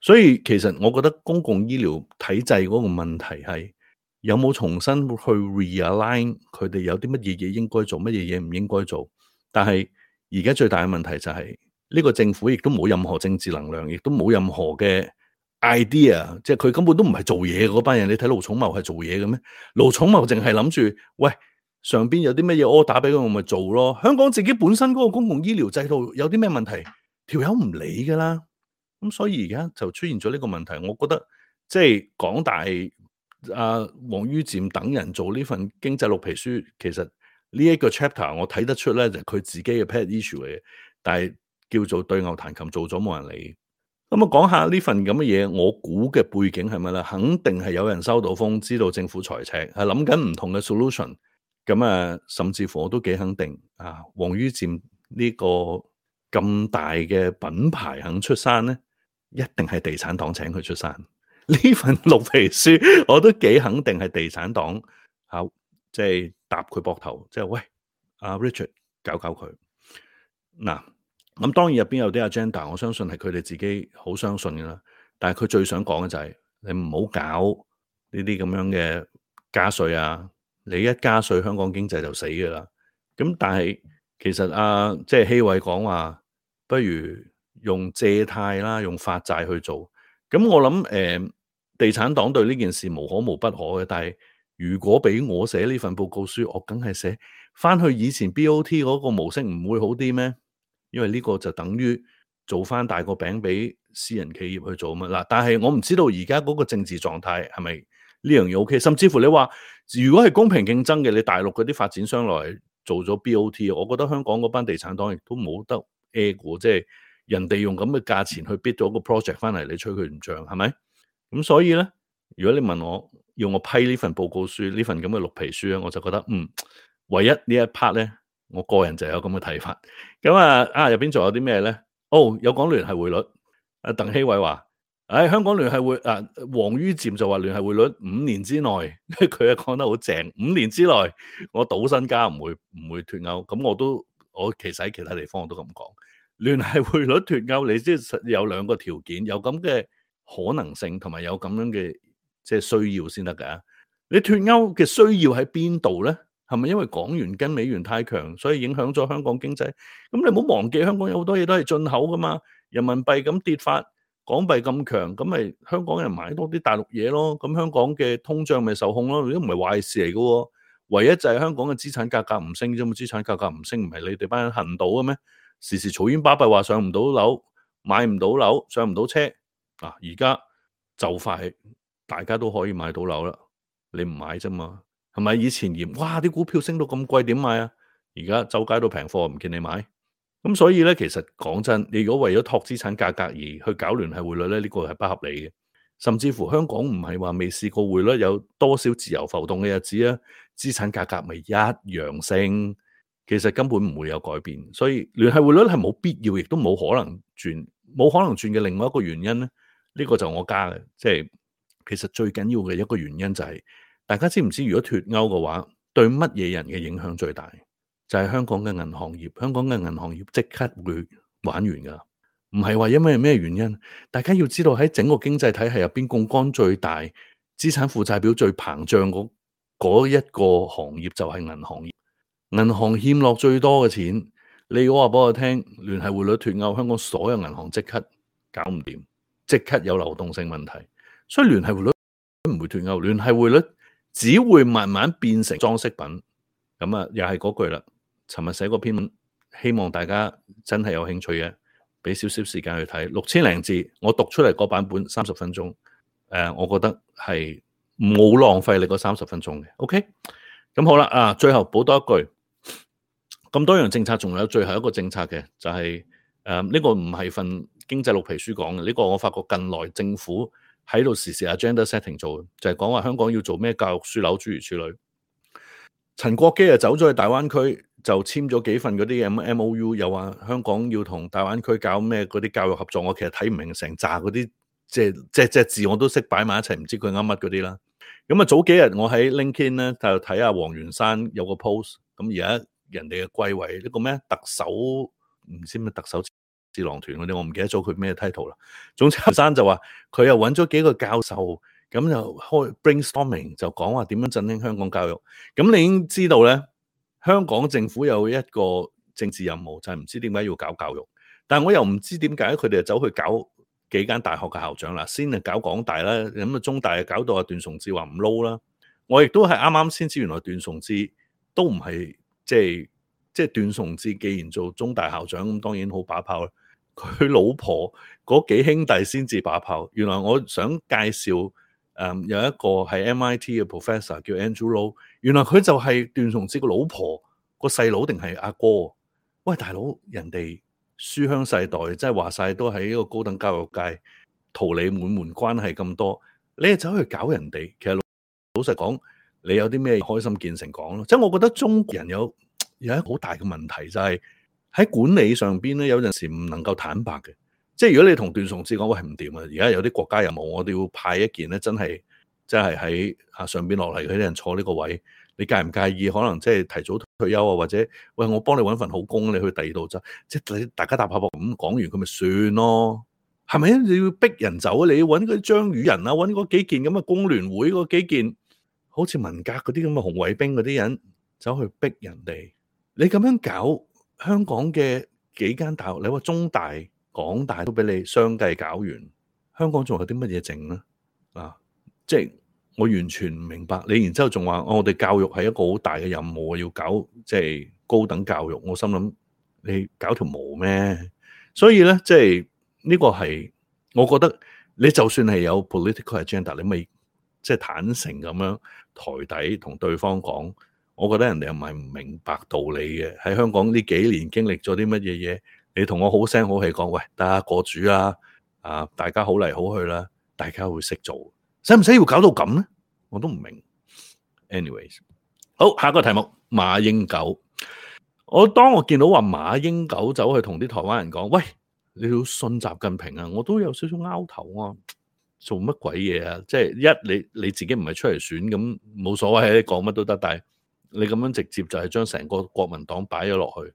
所以其實我覺得公共醫療體制嗰個問題係有冇重新去 realign 佢哋有啲乜嘢嘢應該做，乜嘢嘢唔應該做。但係而家最大嘅問題就係呢個政府亦都冇任何政治能量，亦都冇任何嘅 idea， 即係佢根本都唔係做嘢嗰班人。你睇盧寵茂係做嘢嘅咩？盧寵茂淨係諗住喂，上邊有啲乜嘢 order 俾佢，我咪做咯。香港自己本身嗰個公共醫療制度有啲咩問題，條友唔理噶啦。咁所以而家就出現咗呢個問題，我覺得即係港大王于漸等人做呢份經濟綠皮書，其實呢一個 chapter 我睇得出咧，就係佢自己嘅 pet issue 嚟嘅，但係叫做對牛彈琴做咗冇人理。咁啊，講下呢份咁嘅嘢，我估嘅背景係乜咧？肯定係有人收到風，知道政府財赤，係諗緊唔同嘅 solution。咁啊，甚至乎我都幾肯定啊，王于漸呢個咁大嘅品牌肯出山咧，一定係地產黨請佢出山。呢份綠皮書我都幾肯定係地產黨即係搭佢膊頭，即係喂Richard 搞佢嗱。咁當然入邊有啲 agenda，我相信係佢哋自己好相信㗎啦。但係佢最想講嘅就係你唔好搞呢啲咁樣嘅加稅啊！你一加稅，香港經濟就死㗎啦。咁但係其實即係希偉講話，不如用借貸啦，用發債去做。咁我諗地產黨對呢件事無可無不可嘅。但係如果俾我寫呢份報告書，我梗係寫翻去以前 BOT 嗰個模式，唔會好啲咩？因為呢個就等於做翻大個餅俾私人企業去做嘛。嗱，但係我唔知道而家嗰個政治狀態係咪呢樣嘢 OK？甚至乎你話如果係公平競爭嘅，你大陸嗰啲發展商來做咗 BOT， 我覺得香港嗰班地產黨亦都冇得 A 過，即係人哋用咁嘅價錢去 bid 咗個 project 翻嚟，你吹佢唔漲係咪？咁所以咧，如果你問我要我批呢份報告書，呢份咁嘅綠皮書咧，我就覺得唯一呢一 part 咧，我個人就有咁嘅睇法。咁入邊仲有啲咩咧？有講聯繫匯率。鄧希偉話，香港聯繫匯王于漸就話聯繫匯率5年之內，佢講得好正。5年之內，我賭身家唔會脫歐。咁我其實喺其他地方我都咁講，聯繫匯率脫歐，你即係有兩個條件，有咁嘅可能性，同埋有咁樣嘅即係需要先得㗎。你脫歐嘅需要喺邊度咧？係咪因為港元跟美元太強，所以影響咗香港經濟？咁你唔好忘記，香港有好多嘢都係進口噶嘛。人民幣咁跌法，港幣咁強，咁咪香港人買多啲大陸嘢咯。咁香港嘅通脹咪受控咯。都唔係壞事嚟噶。唯一就係香港嘅資產價格唔升啫嘛。資產價格唔升，唔係你哋班人恨到嘅咩？時時嘈冤巴閉話上唔到樓，買唔到樓，上唔到車。而家就快大家都可以買到樓啦。你唔買啫嘛？係咪以前嫌哇啲股票升到咁貴點買啊？而家周街都平貨，唔見你買。咁所以咧，其實講真，你如果為咗托資產價格而去搞聯繫匯率咧，呢個係不合理嘅。甚至乎香港唔係話未試過匯率有多少自由浮動嘅日子啊，資產價格咪一樣升，其實根本唔會有改變。所以聯繫匯率係冇必要，亦都冇可能轉嘅另外一個原因咧，呢個就我加嘅，即係其實最緊要嘅一個原因就係大家知唔知，如果脫歐嘅話，對乜嘢人嘅影響最大？就係香港嘅銀行業，香港嘅銀行業即刻會玩完噶，唔係話因為咩原因。大家要知道喺整個經濟體系入邊，槓桿最大、資產負債表最膨脹嗰一個行業就係銀行業。銀行欠落最多嘅錢，你如果話俾我聽，聯繫匯率脫歐，香港所有銀行即刻搞唔掂，即刻有流動性問題。所以聯繫匯率唔會脫歐，聯繫匯率只會慢慢變成裝飾品。咁又係嗰句啦。尋日寫個篇文，希望大家真係有興趣嘅，俾少少時間去睇，6000零字，我讀出嚟個版本30分鐘，我覺得係冇浪費你嗰30分鐘嘅。OK，咁好啦，最後補多一句，咁多樣政策，仲有最後一個政策嘅，就係呢個唔係份經濟綠皮書講嘅，呢個我發覺近來政府喺度時 agenda setting 做，就係講話香港要做咩教育樞紐諸如此類。陳國基走咗去大灣區，就簽咗幾份嗰啲 MOU， 又話香港要同大灣區搞咩嗰啲教育合作。我其實睇唔明成扎嗰啲，即係隻字我都識擺埋一齊，唔知佢啱乜嗰啲啦。咁早幾日我喺 LinkedIn 咧就睇下黃元山有個 post，咁而家人哋嘅歸位，呢個咩特首唔知咩特首智囊團嗰啲，我唔記得咗佢咩 title 啦。總之陳生就話佢又揾咗幾個教授，咁就開 brainstorming 就講話點樣振興香港教育。咁你已經知道咧，香港政府有一個政治任務，就係唔知點解要搞教育，但係我又唔知點解佢哋就走去搞幾間大學嘅校長啦，先係搞港大啦，咁啊中大啊搞到阿段崇智話唔撈啦。我亦都係啱啱先知，原來段崇智都唔係即係段崇智，既然做中大校長，咁當然好把炮啦。佢老婆嗰幾兄弟先至把炮。原來我想介紹有一個係 MIT 嘅 professor 叫 Andrew Lo， 原來佢就係段崇智個老婆個細佬定係阿哥。喂，大佬，人哋書香世代，即係話晒都喺呢個高等教育界桃李滿門關係咁多，你係走去搞人哋，其實老實講，你有啲咩開心見誠講咯。即係我覺得中國人有一個好大嘅問題，就係喺管理上邊咧，有陣時唔能夠坦白嘅。即係如果你同段崇智講，喂，唔掂啊，而家有啲國家任務，我哋要派一件咧，真係喺上邊落嚟嗰啲人坐呢個位，你介唔介意？可能即係提早退休啊，或者喂，我幫你搵份好工，你去第二度就即係大家搭下膊咁講完，佢咪算咯？係咪？你要逼人走啊？你要搵嗰啲張宇人啊，搵嗰幾件咁嘅工聯會嗰幾件，好似文革嗰啲咁嘅紅衛兵嗰啲人走去逼人哋，你咁樣搞香港嘅幾間大學，你話中大、港大都俾你相繼搞完，香港仲有啲乜嘢剩咧？即係我完全唔明白你，然之後仲話我哋教育係一個好大嘅任務，要搞即係高等教育，我心諗你搞條毛咩？所以咧，即係呢個係我覺得你就算係有 political agenda，你咪即係坦誠咁樣台底同對方講，我覺得人哋又唔係唔明白道理嘅。喺香港呢幾年經歷咗啲乜嘢嘢，你同我好聲好氣講，喂，大家過主啦，大家好嚟好去啦，大家會識做，使唔使要搞到咁咧？我都唔明。anyways， 好，下一個題目，馬英九。當我見到話馬英九走去同啲台灣人講，喂，你要信習近平啊，我都有少少拗頭啊。做乜鬼嘢啊？即係你自己唔係出嚟選，咁冇所謂，你講乜都得。但係你咁樣直接就係將成個國民黨擺咗落去。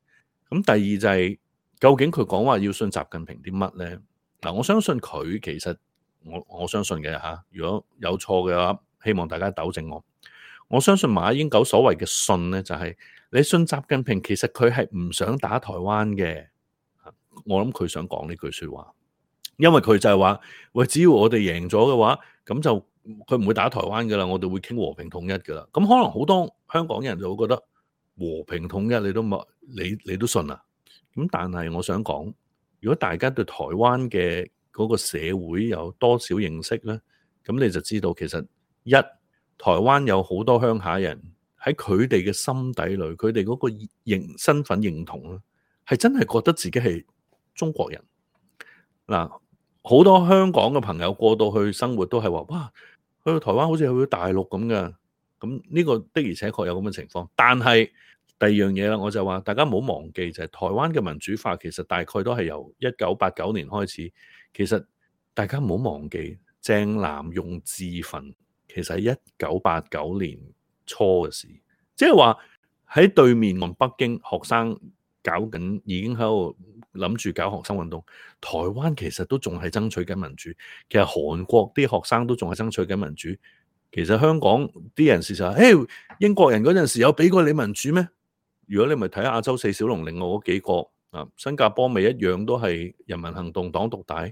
咁第二就係究竟佢講話要信習近平啲乜咧？嗱，我相信佢其實我相信嘅嚇。如果有錯嘅話，希望大家糾正我。我相信馬英九所謂嘅信咧，就係你信習近平，其實佢係唔想打台灣嘅。我諗佢想講呢句説話。因為佢就係話，喂，只要我哋贏咗嘅話，咁就佢唔會打台灣噶啦，我哋會傾和平統一噶啦。咁可能好多香港人就會覺得和平統一你都冇，你都信啊？咁但係我想講，如果大家對台灣嘅嗰個社會有多少認識咧，咁你就知道其實台灣有好多鄉下人喺佢哋嘅心底裏，佢哋嗰個身份認同咧，係真係覺得自己係中國人。嗱，好多香港嘅朋友過到去生活都係話，哇，去到台灣好似去到大陸咁嘅。咁呢個的而且確有咁嘅情況。但係第二樣嘢啦，我就話大家唔好忘記，就係台灣嘅民主化其實大概都係由1989年開始。其實大家唔好忘記，鄭南榕自焚其實係1989年初嘅事，即係話喺對面岸北京學生搞緊，已經喺度諗住搞學生運動。台灣其實都仲係爭取緊民主，其實韓國啲學生都仲係爭取緊民主。其實香港啲人事實話，誒，英國人嗰陣時有俾過你民主咩？如果你咪睇亞洲四小龍另外嗰幾個新加坡咪一樣都係人民行動黨獨大。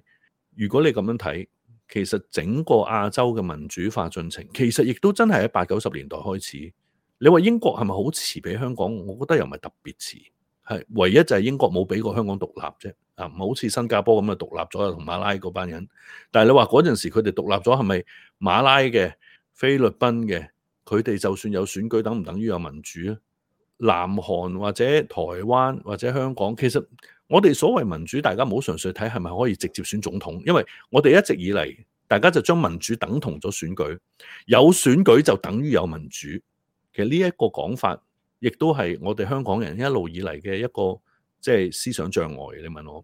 如果你咁樣睇，其實整個亞洲嘅民主化進程，其實亦都真係喺80、90年代開始。你話英國係咪好遲俾香港？我覺得又唔係特別遲。係唯一就係英國冇俾過香港獨立啫，唔好似新加坡咁啊獨立咗同馬拉嗰班人。但係你話嗰陣時佢哋獨立咗係咪馬拉嘅、菲律賓嘅，佢哋就算有選舉，等唔等於有民主啊？南韓或者台灣或者香港，其實我哋所謂民主，大家唔好純粹睇係咪可以直接選總統，因為我哋一直以嚟大家就將民主等同咗選舉，有選舉就等於有民主。其實呢一個講法，亦都係我哋香港人一路以嚟嘅一個即係思想障礙。你問我，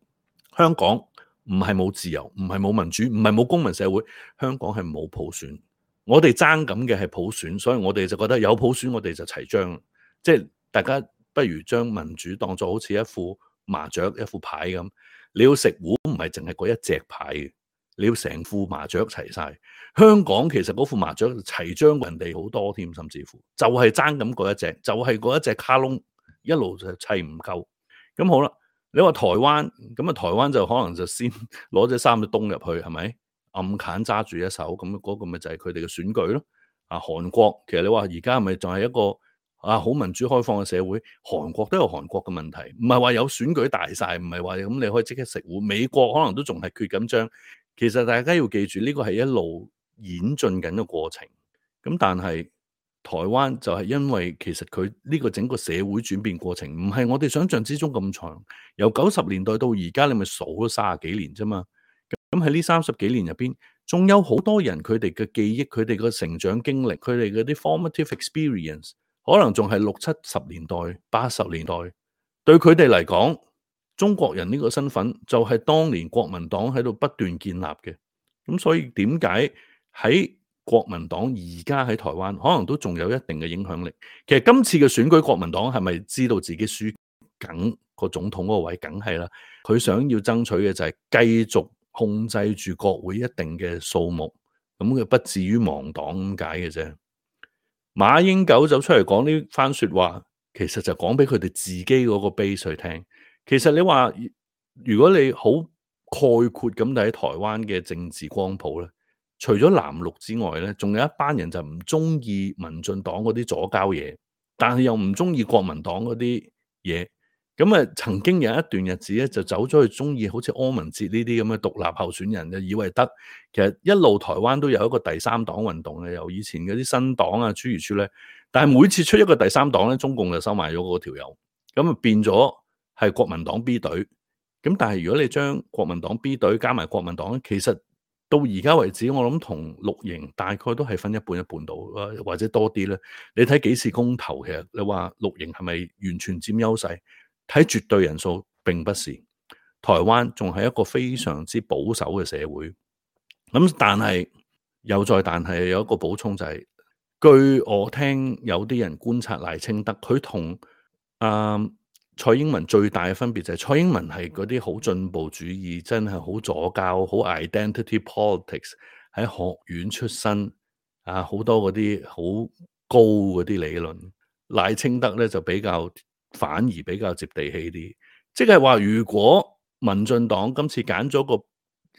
香港唔係冇自由，唔係冇民主，唔係冇公民社會，香港係冇普選。我哋爭緊嘅係普選，所以我哋就覺得有普選我哋就齊章。即係大家不如將民主當作好似一副麻雀一副牌咁，你要食糊唔係淨係嗰一隻牌嘅，你要成副麻雀齊晒。香港其實嗰副麻雀齊將人哋好多添，甚至乎就係爭咁嗰一隻，就係嗰一隻卡窿一路就砌唔夠。咁好啦，你話台灣咁啊，台灣就可能就先攞隻衫就東入去，係咪暗砍揸住一手咁嗰個咪就係佢哋嘅選舉咯。韓國其實你話而家係咪仲係一個好民主開放嘅社會？韓國都有韓國嘅問題，唔係話有選舉大晒，唔係話咁你可以即刻食糊。美國可能都仲係缺緊章。其實大家要記住呢個係一路演進緊嘅過程。咁但係台灣就係因為其實佢呢個整個社會轉變過程唔係我哋想象之中咁長，由90年代到而家你咪數咗30幾年啫嘛。咁喺呢30幾年入邊，仲有好多人佢哋嘅記憶，佢哋嘅成長經歷，佢哋嗰啲 formative experience， 可能仲係60、70年代、80年代。對佢哋嚟講，中國人呢個身份就係當年國民黨喺度不斷建立嘅。咁所以點解喺國民黨而家喺台灣可能都仲有一定嘅影響力？其實今次嘅選舉，國民黨係咪知道自己輸緊個總統嗰個位？梗係啦，佢想要爭取嘅就係繼續控制住國會一定嘅數目，咁佢不至於亡黨咁解嘅啫。馬英九走出嚟講呢番說話，其實就講俾佢哋自己嗰個 base 去聽。其實你話如果你好概括咁睇台灣嘅政治光譜咧，除咗藍綠之外咧，仲有一班人就唔中意民進黨嗰啲左膠嘢，但係又唔中意國民黨嗰啲嘢。咁啊，曾經有一段日子咧，就走咗去中意好似柯文哲呢啲咁嘅獨立候選人，就以為得。其實一路台灣都有一個第三黨運動嘅，由以前嗰啲新黨啊諸如此類。但係每次出一個第三黨咧，中共就收埋咗嗰條友，咁啊變咗係國民黨 B 隊。咁但係如果你將國民黨 B 隊加埋國民黨咧，其實到而家為止，我諗同綠營大概都係分一半一半到，或者多啲咧。你睇幾次公投，其實你話綠營係咪完全佔優勢？睇絕對人數並不是，台灣仲係一個非常之保守嘅社會。咁但係有一個補充就係，據我聽有啲人觀察賴清德，佢同蔡英文最大嘅分別就係蔡英文係嗰啲好進步主義，真係好左膠，好 identity politics， 喺學院出身好多嗰啲好高嗰啲理論。賴清德咧就反而比較接地氣啲，即係話如果民進黨今次揀咗個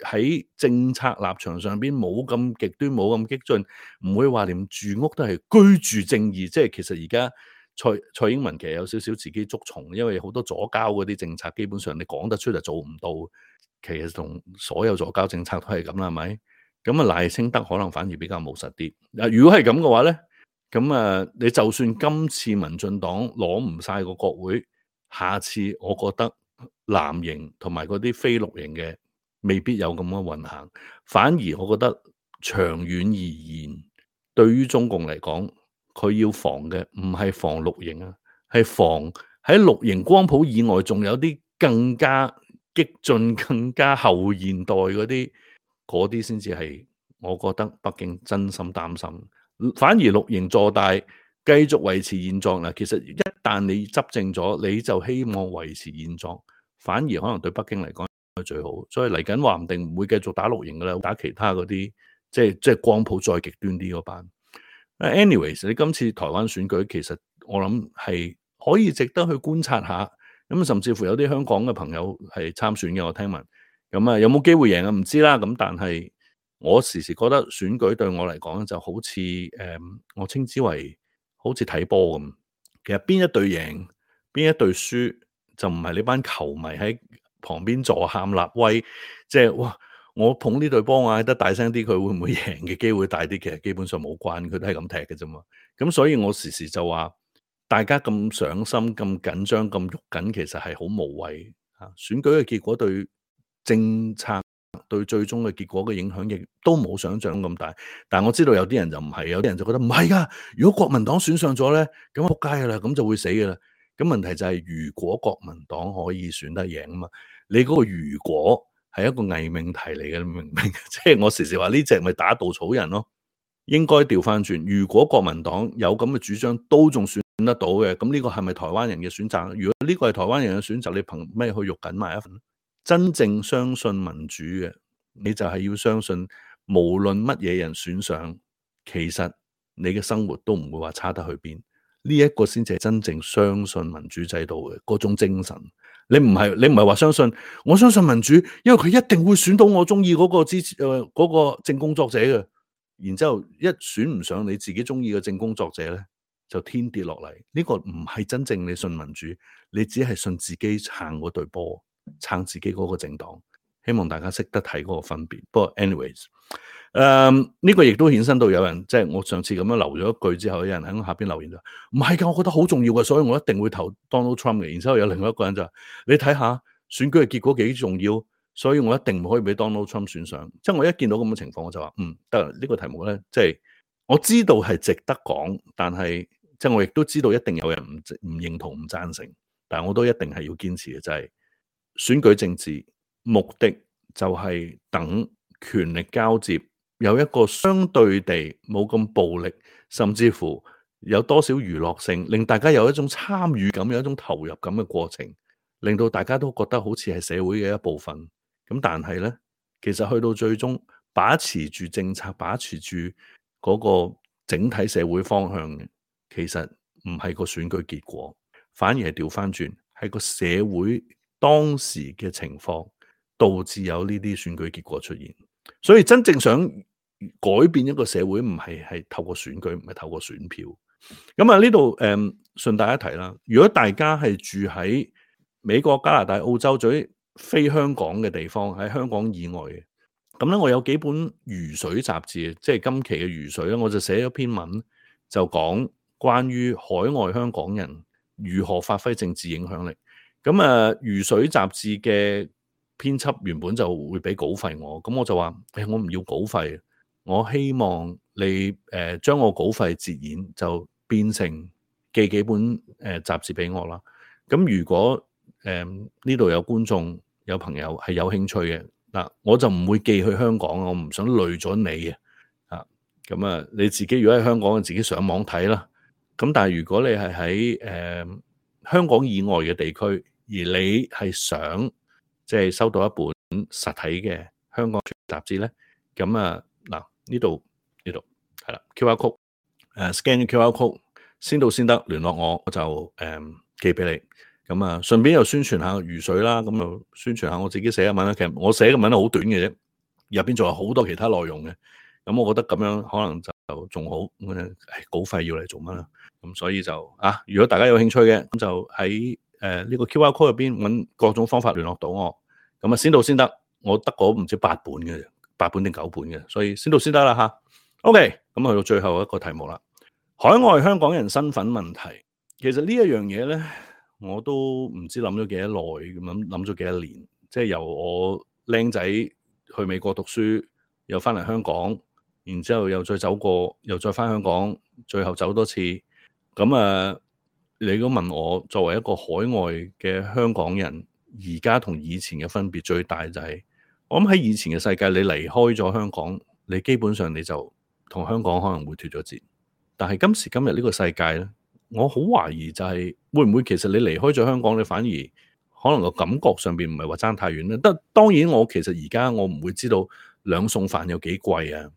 喺政策立場上邊冇咁極端冇咁激進，唔會話連住屋都係居住正義，即係其實而家蔡英文其實有少少自己捉蟲，因為好多左膠嗰啲政策基本上你講得出就做唔到，其實同所有左膠政策都係咁啦，係咪？咁啊賴清德可能反而比較務實啲。如果係咁嘅話咧，咁你就算今次民進黨攞唔晒個國會，下次我覺得藍營同埋嗰啲非綠營嘅未必有咁嘅運行。反而我覺得長遠而言，對於中共嚟講，佢要防嘅唔係防綠營啊，係防喺綠營光譜以外，仲有啲更加激進、更加後現代嗰啲先至係我覺得北京真心擔心。反而綠營坐大，繼續維持現狀啦。其實一旦你執政咗，你就希望維持現狀，反而可能對北京嚟講係最好。所以嚟緊話唔定唔會繼續打綠營噶啦，打其他嗰啲即係光譜再極端啲嗰班。anyways， 你今次台灣選舉其實我諗係可以值得去觀察下。咁甚至乎有啲香港嘅朋友係參選嘅，我聽聞。咁有冇機會贏啊？唔知啦。咁但係我時時覺得選舉對我嚟講就好似我稱之為好似睇波咁。其實邊一隊贏，邊一隊輸，就唔係呢班球迷喺旁邊助喊立威，即係哇！我捧呢隊波，我嗌得大聲啲，佢會唔會贏嘅機會大啲？其實基本上冇關，佢都係咁踢嘅啫嘛。咁所以我時時就話，大家咁上心、咁緊張、咁喐緊，其實係好無謂。選舉嘅結果對政策，對最終嘅結果嘅影響亦都冇想象咁大，但我知道有啲人就唔係，有啲人就覺得唔係噶。如果國民黨選上咗咧，咁仆街噶啦，咁就會死噶啦。咁問題就係，如果國民黨可以選得贏啊嘛，你嗰個如果係一個偽命題嚟嘅，你明唔明？即係我時時話呢隻咪打稻草人咯。應該調翻轉，如果國民黨有咁嘅主張，都仲選得到嘅，咁呢個係咪台灣人嘅選擇？如果呢個係台灣人嘅選擇，你憑咩去肉緊埋一份？真正相信民主嘅，你就係要相信，無論乜嘢人選上，其實你嘅生活都唔會話差得去邊。呢一個先至係真正相信民主制度嘅嗰種精神。你唔係話相信，我相信民主，因為佢一定會選到我中意嗰個嗰個正工作者嘅。然之後一選唔上你自己中意嘅正工作者咧，就天跌落嚟。呢個唔係真正你信民主，你只係信自己撐嗰隊波，撐自己嗰個政黨。希望大家識得睇嗰個分別。不過 anyways，呢個亦都衍生到有人，即係我上次咁樣留咗一句之後，有人喺下邊留言就唔係㗎，我覺得好重要嘅，所以我一定會投 Donald Trump 嘅。然之後有另外一個人就話你睇下選舉嘅結果幾重要，所以我一定唔可以俾 Donald Trump 選上。即係我一見到咁嘅情況，我就話得呢個題目咧，即係我知道係值得講，但係即係我亦都知道一定有人唔認同唔贊成，但係我都一定係要堅持嘅，就係選舉政治目的就係等權力交接有一個相對地冇咁暴力，甚至乎有多少娛樂性，令大家有一種參與感，有一種投入感嘅過程，令到大家都覺得好似係社會嘅一部分。咁但係呢，其實去到最終把持住政策，把持住嗰個整體社會方向嘅，其實唔係個選舉結果，反而係調翻轉，係個社會當時嘅情況導致有呢啲選舉結果出現。所以真正想改變一個社會，唔係透過選舉，唔係透過選票。咁啊呢度順帶一提啦，如果大家係住喺美國、加拿大、澳洲，最非香港嘅地方，喺香港以外嘅，咁咧我有幾本魚水雜誌，即係今期嘅魚水咧，我就寫咗篇文，就講關於海外香港人如何發揮政治影響力。咁魚水雜誌嘅編輯原本就會俾稿費我，咁我就話我唔要稿費，我希望你將我稿費折現，就變成寄幾本雜誌俾我啦。咁如果呢度有觀眾有朋友係有興趣嘅，嗱，我就唔會寄去香港，我唔想累咗你啊。咁啊，你自己如果喺香港，自己上網睇啦。咁但係如果你係喺香港以外嘅地區，而你係想即係收到一本實體嘅香港雜誌咧，咁啊嗱，呢度係啦 QR code， scan 咗 QR code 先到先得，聯絡我，我就寄俾你。咁啊，順便又宣傳下魚水啦，咁又宣傳下我自己寫嘅文啦。其實我寫嘅文係好短嘅啫，入邊仲有好多其他內容嘅。咁我覺得咁樣可能就仲好。稿費要嚟做乜啦？咁所以就如果大家有興趣嘅，咁就喺呢個 QR code 入邊揾各種方法聯絡到我。咁啊，先到先得，我得嗰唔知8本嘅，8本定9本嘅，所以先到先得啦吓。OK，咁去到最後一個題目啦，海外香港人身份問題。其實呢一樣嘢咧，我都唔知諗咗幾多耐，咁諗咗幾多年。即係由我僆仔去美國讀書，又翻嚟香港，然之後又再走過，又再翻香港，最後走多次。咁你如果問我作為一個海外嘅香港人，而家同以前嘅分別最大就係，我諗喺以前嘅世界，你離開咗香港，你基本上你就同香港可能會脫咗節。但係今時今日呢個世界咧，我好懷疑就係會唔會其實你離開咗香港，你反而可能個感覺上邊唔係話爭太遠咧。當然我其實而家我唔會知道兩餸飯有幾貴啊，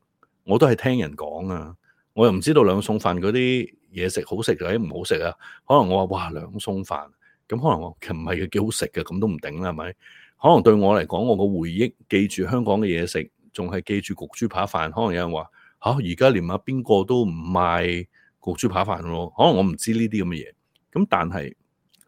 我都係聽人講啊，我又唔知道兩餸飯嗰啲嘢食好食定係唔好食啊。可能我話哇兩餸飯，咁可能我其實唔係幾好食嘅，咁都唔定啦，係咪？可能對我嚟講，我個回憶記住香港嘅嘢食，仲係記住焗豬扒飯。可能有人話而家連邊個都唔賣焗豬扒飯咯，可能我唔知呢啲咁嘅嘢。咁但係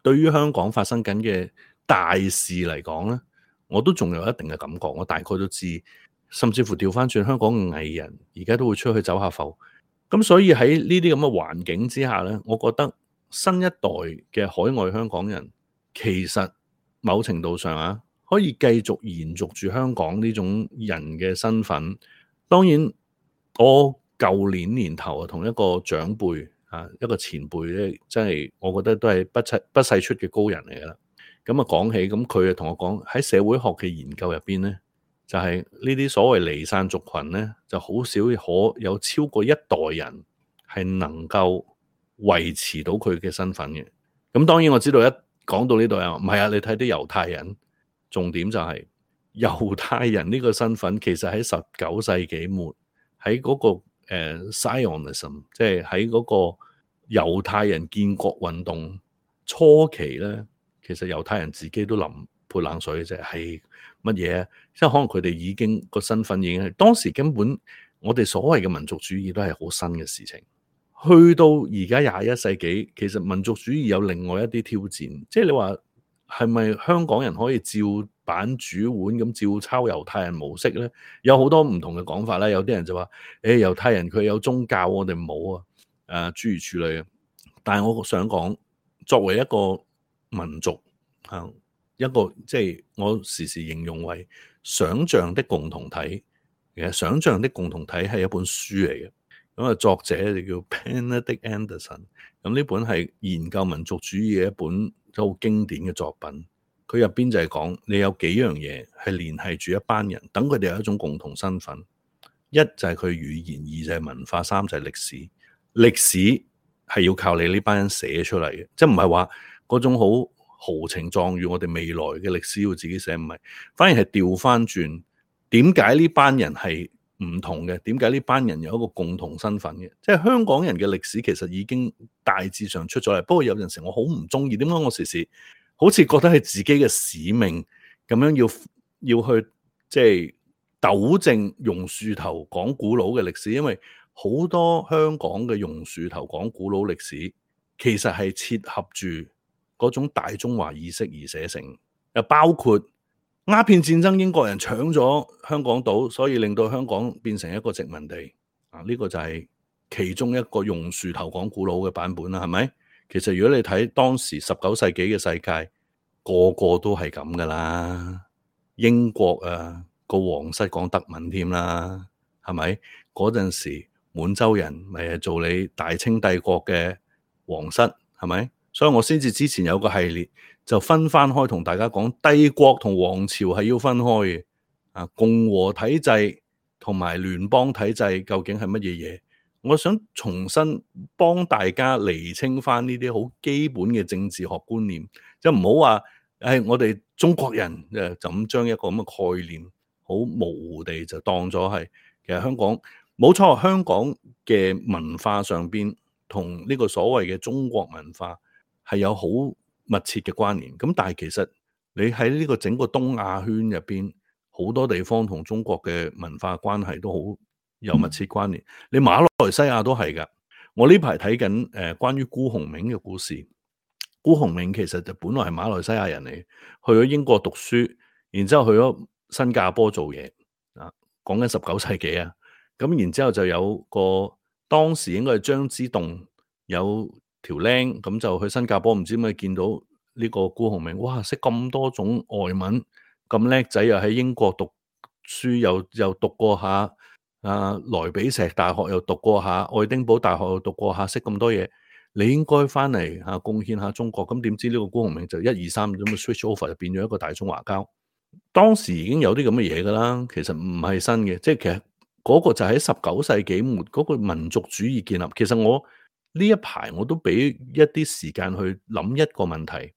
對於香港發生緊嘅大事嚟講咧，我都仲有一定嘅感覺。我大概都知，甚至乎調翻轉香港嘅藝人而家都會出去走下埠。咁所以喺呢啲咁嘅環境之下咧，我覺得新一代嘅海外香港人其實某程度上可以繼續延續住香港呢種人嘅身份。當然我舊年年頭同一個長輩一個前輩咧，真係我覺得都係不世出嘅高人嚟噶啦。咁講起，咁佢就同我講喺社會學嘅研究入邊咧，就係呢啲所謂離散族群咧，就好少可有超過一代人係能夠維持到佢嘅身份嘅。咁當然我知道一講到呢度啊，唔係啊，你睇啲猶太人，重點就係猶太人呢個身份其實喺19世紀末喺嗰個Zionism， 即係喺嗰個猶太人建國運動初期咧，其實猶太人自己都淋潑冷水嘅啫，係乜嘢？即係可能佢哋已經個身份已經係當時根本我哋所謂嘅民族主義都係好新嘅事情。去到而家21世紀，其實民族主義有另外一啲挑戰，即係你話係咪香港人可以照版煮碗咁照抄猶太人模式咧？有好多唔同嘅講法啦，有啲人就話：猶太人佢有宗教，我哋冇啊，諸如此類嘅。但係我想講，作為一個民族一個即係我時時形容為想像的共同體。其實想像的共同體係一本書嚟嘅。咁作者就叫 Benedict Anderson， 咁呢本係研究民族主義嘅一本好經典嘅作品。佢入邊就係講你有幾樣嘢係聯繫住一班人，等佢哋有一種共同身份。一就係佢語言，二就係文化，三就係歷史。歷史係要靠你呢班人寫出嚟嘅，即係唔係話嗰種好豪情壯語，我哋未來嘅歷史要自己寫，唔係，反而係調翻轉。點解呢班人係唔同嘅？點解呢班人有一個共同身份嘅？即係香港人嘅歷史其實已經大致上出咗嚟，不過有陣時我好唔中意，點解我時時好似覺得係自己嘅使命咁樣要去即係糾正榕樹頭講古佬嘅歷史，因為好多香港嘅榕樹頭講古佬歷史其實係切合住嗰種大中華意識而寫成，又包括鴉片戰爭，英國人搶咗香港島，所以令到香港變成一個殖民地。呢個就係其中一個榕樹頭講古佬嘅版本啦，係咪？其實如果你睇當時19世紀嘅世界，個個都係咁噶啦。英國個皇室講德文添啦，係咪？嗰陣時滿洲人咪係做你大清帝國嘅皇室，係咪？所以我先至之前有個系列就分翻開同大家講，帝國同皇朝係要分開嘅。共和體制同埋聯邦體制究竟係乜嘢嘢？我想重新幫大家釐清翻呢啲好基本嘅政治學觀念，就唔好話我哋中國人就咁將一個咁嘅概念好模糊地就當咗係。其實香港冇錯，香港嘅文化上邊同呢個所謂嘅中國文化係有好密切嘅關聯。咁但係其實你喺呢個整個東亞圈入邊，好多地方同中國嘅文化關係都好有密切關聯。你馬來西亞都係㗎。我呢排睇緊關於辜鴻銘嘅故事。辜鴻銘其實就本來係馬來西亞人嚟，去咗英國讀書，然之後去咗新加坡做嘢。講緊19世紀啊。咁然之後就有個當時應該係張之洞有條僆，咁就去新加坡，唔知點解見到呢個辜鴻銘，哇，識咁多種外文，咁叻仔，又喺英國讀書，又讀過下萊比錫大學，又讀過下愛丁堡大學，又讀過下，識咁多嘢，你應該翻嚟貢獻下中國。咁點知呢個辜鴻銘就1、2、3咁嘅 switch over，就變咗一個大中華膠。當時已經有啲咁嘅嘢噶啦，其實唔係新嘅，即係其實嗰個就喺19世紀末嗰個民族主義建立。其實我呢一排我都俾一啲時間去諗一個問題，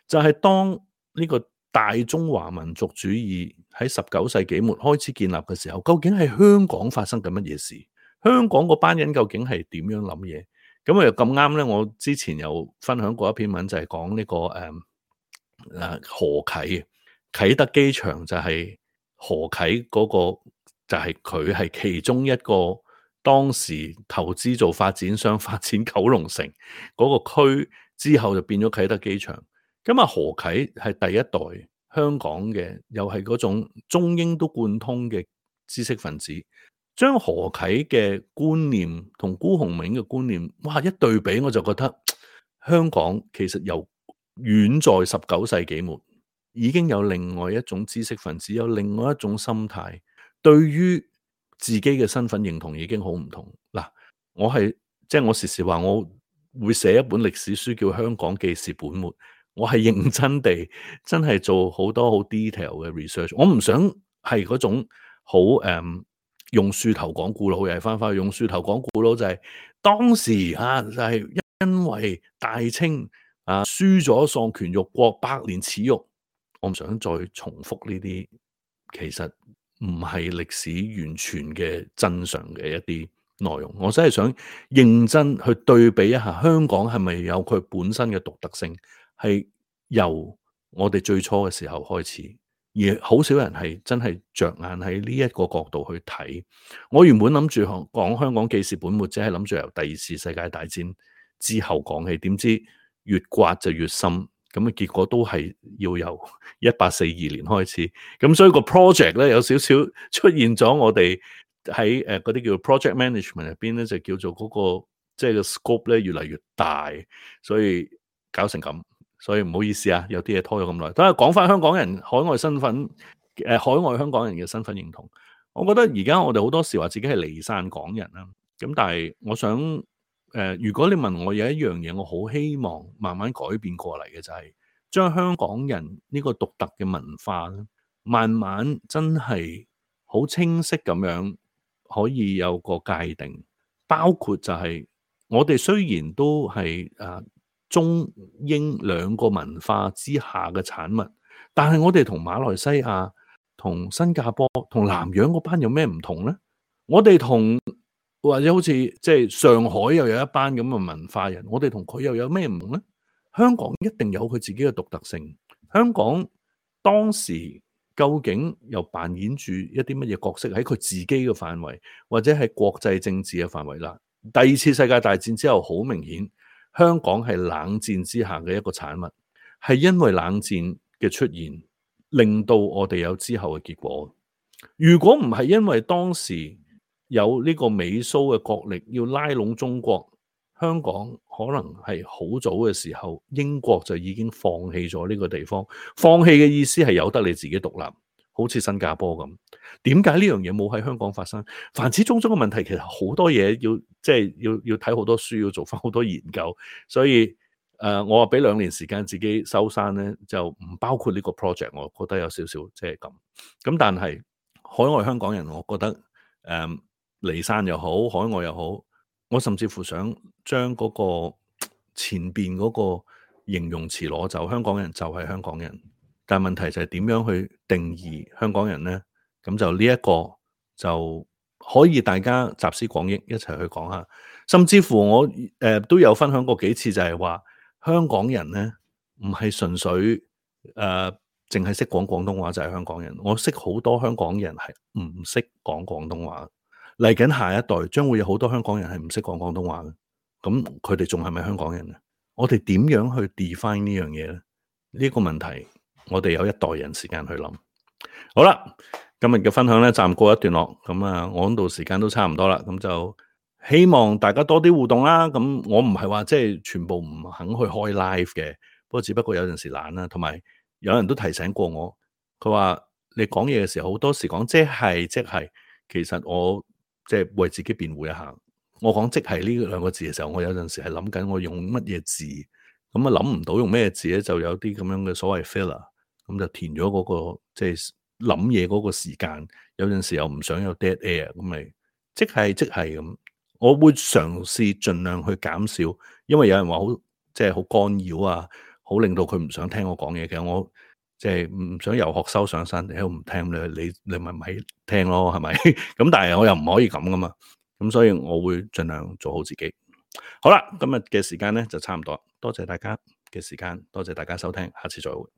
就係當呢個大中華民族主義喺19世紀末開始建立嘅時候，究竟係香港發生緊乜嘢事？香港嗰班人究竟係點樣諗嘢？咁又咁啱咧，我之前有分享過一篇文，就係講呢個何啟啟德機場，就係何啟嗰個，就係佢係其中一個當時投資做發展商發展九龍城嗰個區之後就變咗啟德機場。咁何啟係第一代香港嘅，又係嗰種中英都貫通嘅知識分子，將何啟嘅觀念同辜鴻銘嘅觀念，哇，一對比，我就覺得香港其實由遠在19世紀末已經有另外一種知識分子，有另外一種心態，對於自己嘅身份認同已經好唔同。嗱，我時時話我會寫一本歷史書叫《香港記事本末》，我係認真地真係做好多好 detail 嘅 research。我唔想係嗰種好用樹頭講古佬，又係翻去用樹頭講古佬，就係當時就係因為大清輸咗喪權辱國，百年恥辱。我唔想再重複呢啲，其實唔係歷史完全嘅真相嘅一啲內容。我真係想認真去對比一下，香港係咪有佢本身嘅獨特性，係由我哋最初嘅時候開始，而好少人係真係着眼喺呢一個角度去睇。我原本諗住講香港記事本末，即係諗住由第二次世界大戰之後講起，點知越刮就越深，咁嘅結果都係要由1842年開始。咁所以個 project 咧有少少出現咗，我哋喺嗰啲叫 project management 入邊咧，就叫做嗰個即係個 scope 咧越嚟越大，所以搞成咁。所以唔好意思啊，有啲嘢拖咗咁耐。等下講翻香港人海外身份，海外香港人嘅身份認同。我覺得而家我哋好多時話自己係離散港人啦，咁但係我想如果你問我有一樣嘢，我好希望慢慢改變過嚟嘅就係將香港人呢個獨特嘅文化咧，慢慢真係好清晰咁樣可以有個界定，包括就係我哋雖然都係中英兩個文化之下嘅產物，但係我哋同馬來西亞、同新加坡、同南洋嗰班有咩唔同呢？我哋同或者好似即係上海又有一班咁嘅文化人，我哋同佢又有咩唔同呢？香港一定有佢自己嘅獨特性。香港當時究竟又扮演住一啲乜嘢角色喺佢自己嘅範圍，或者係國際政治嘅範圍啦？第二次世界大戰之後，好明顯。香港係冷戰之下嘅一個產物，係因為冷戰嘅出現，令到我哋有之後嘅結果。如果唔係因為當時有呢個美蘇嘅角力要拉攏中國，香港可能係好早嘅時候，英國就已經放棄咗呢個地方。放棄嘅意思係由得你自己獨立，好似新加坡咁。點解呢樣嘢冇喺香港發生？凡此種種嘅問題，其實好多嘢要睇好多書，要做翻好多研究。所以我話俾2年時間自己收山咧，就唔包括呢個 project。我覺得有少少即係咁。咁但係海外香港人，我覺得離散又好，海外又好，我甚至乎想將嗰個前邊嗰個形容詞攞走。香港人就係香港人。但問題就係點樣去定義香港人呢？咁就呢一個就可以大家集思廣益一齊去講下。甚至乎我都有分享過幾次，就係話香港人呢唔係純粹淨係識講廣東話就係香港人。我識好多香港人係唔識講廣東話。嚟緊下一代將會有好多香港人係唔識講廣東話嘅。咁佢哋仲係咪香港人呢？我哋點樣去 define 呢樣嘢呢？呢個問題我哋有一代人時間去諗。好啦，今日嘅分享咧暫告一段落。咁我嗰度時間都差唔多啦。咁就希望大家多啲互動啦。咁我唔係話即係全部唔肯去開 live 嘅，不過只不過有陣時懶啦。同埋有人都提醒過我，佢話你講嘢嘅時候好多時講即係，其實我即係為自己辯護一下。我講即係呢2個字嘅時候，我有陣時係諗緊我用乜嘢字。咁諗唔到用咩字咧，就有啲咁樣嘅所謂 filler， 咁就填咗嗰個即係諗嘢嗰個時間。有陣時又唔想有 dead air， 咁咪即係咁。我會嘗試盡量去減少，因為有人話好即係好干擾啊，好令到佢唔想聽我講嘢嘅。我即係唔想遊學修上山，你都唔聽你咪聽咯，係咪？咁但係我又唔可以咁噶嘛，咁所以我會盡量做好自己。好啦，今日嘅時間咧就差唔多，多謝大家嘅時間，多謝大家收聽，下次再會。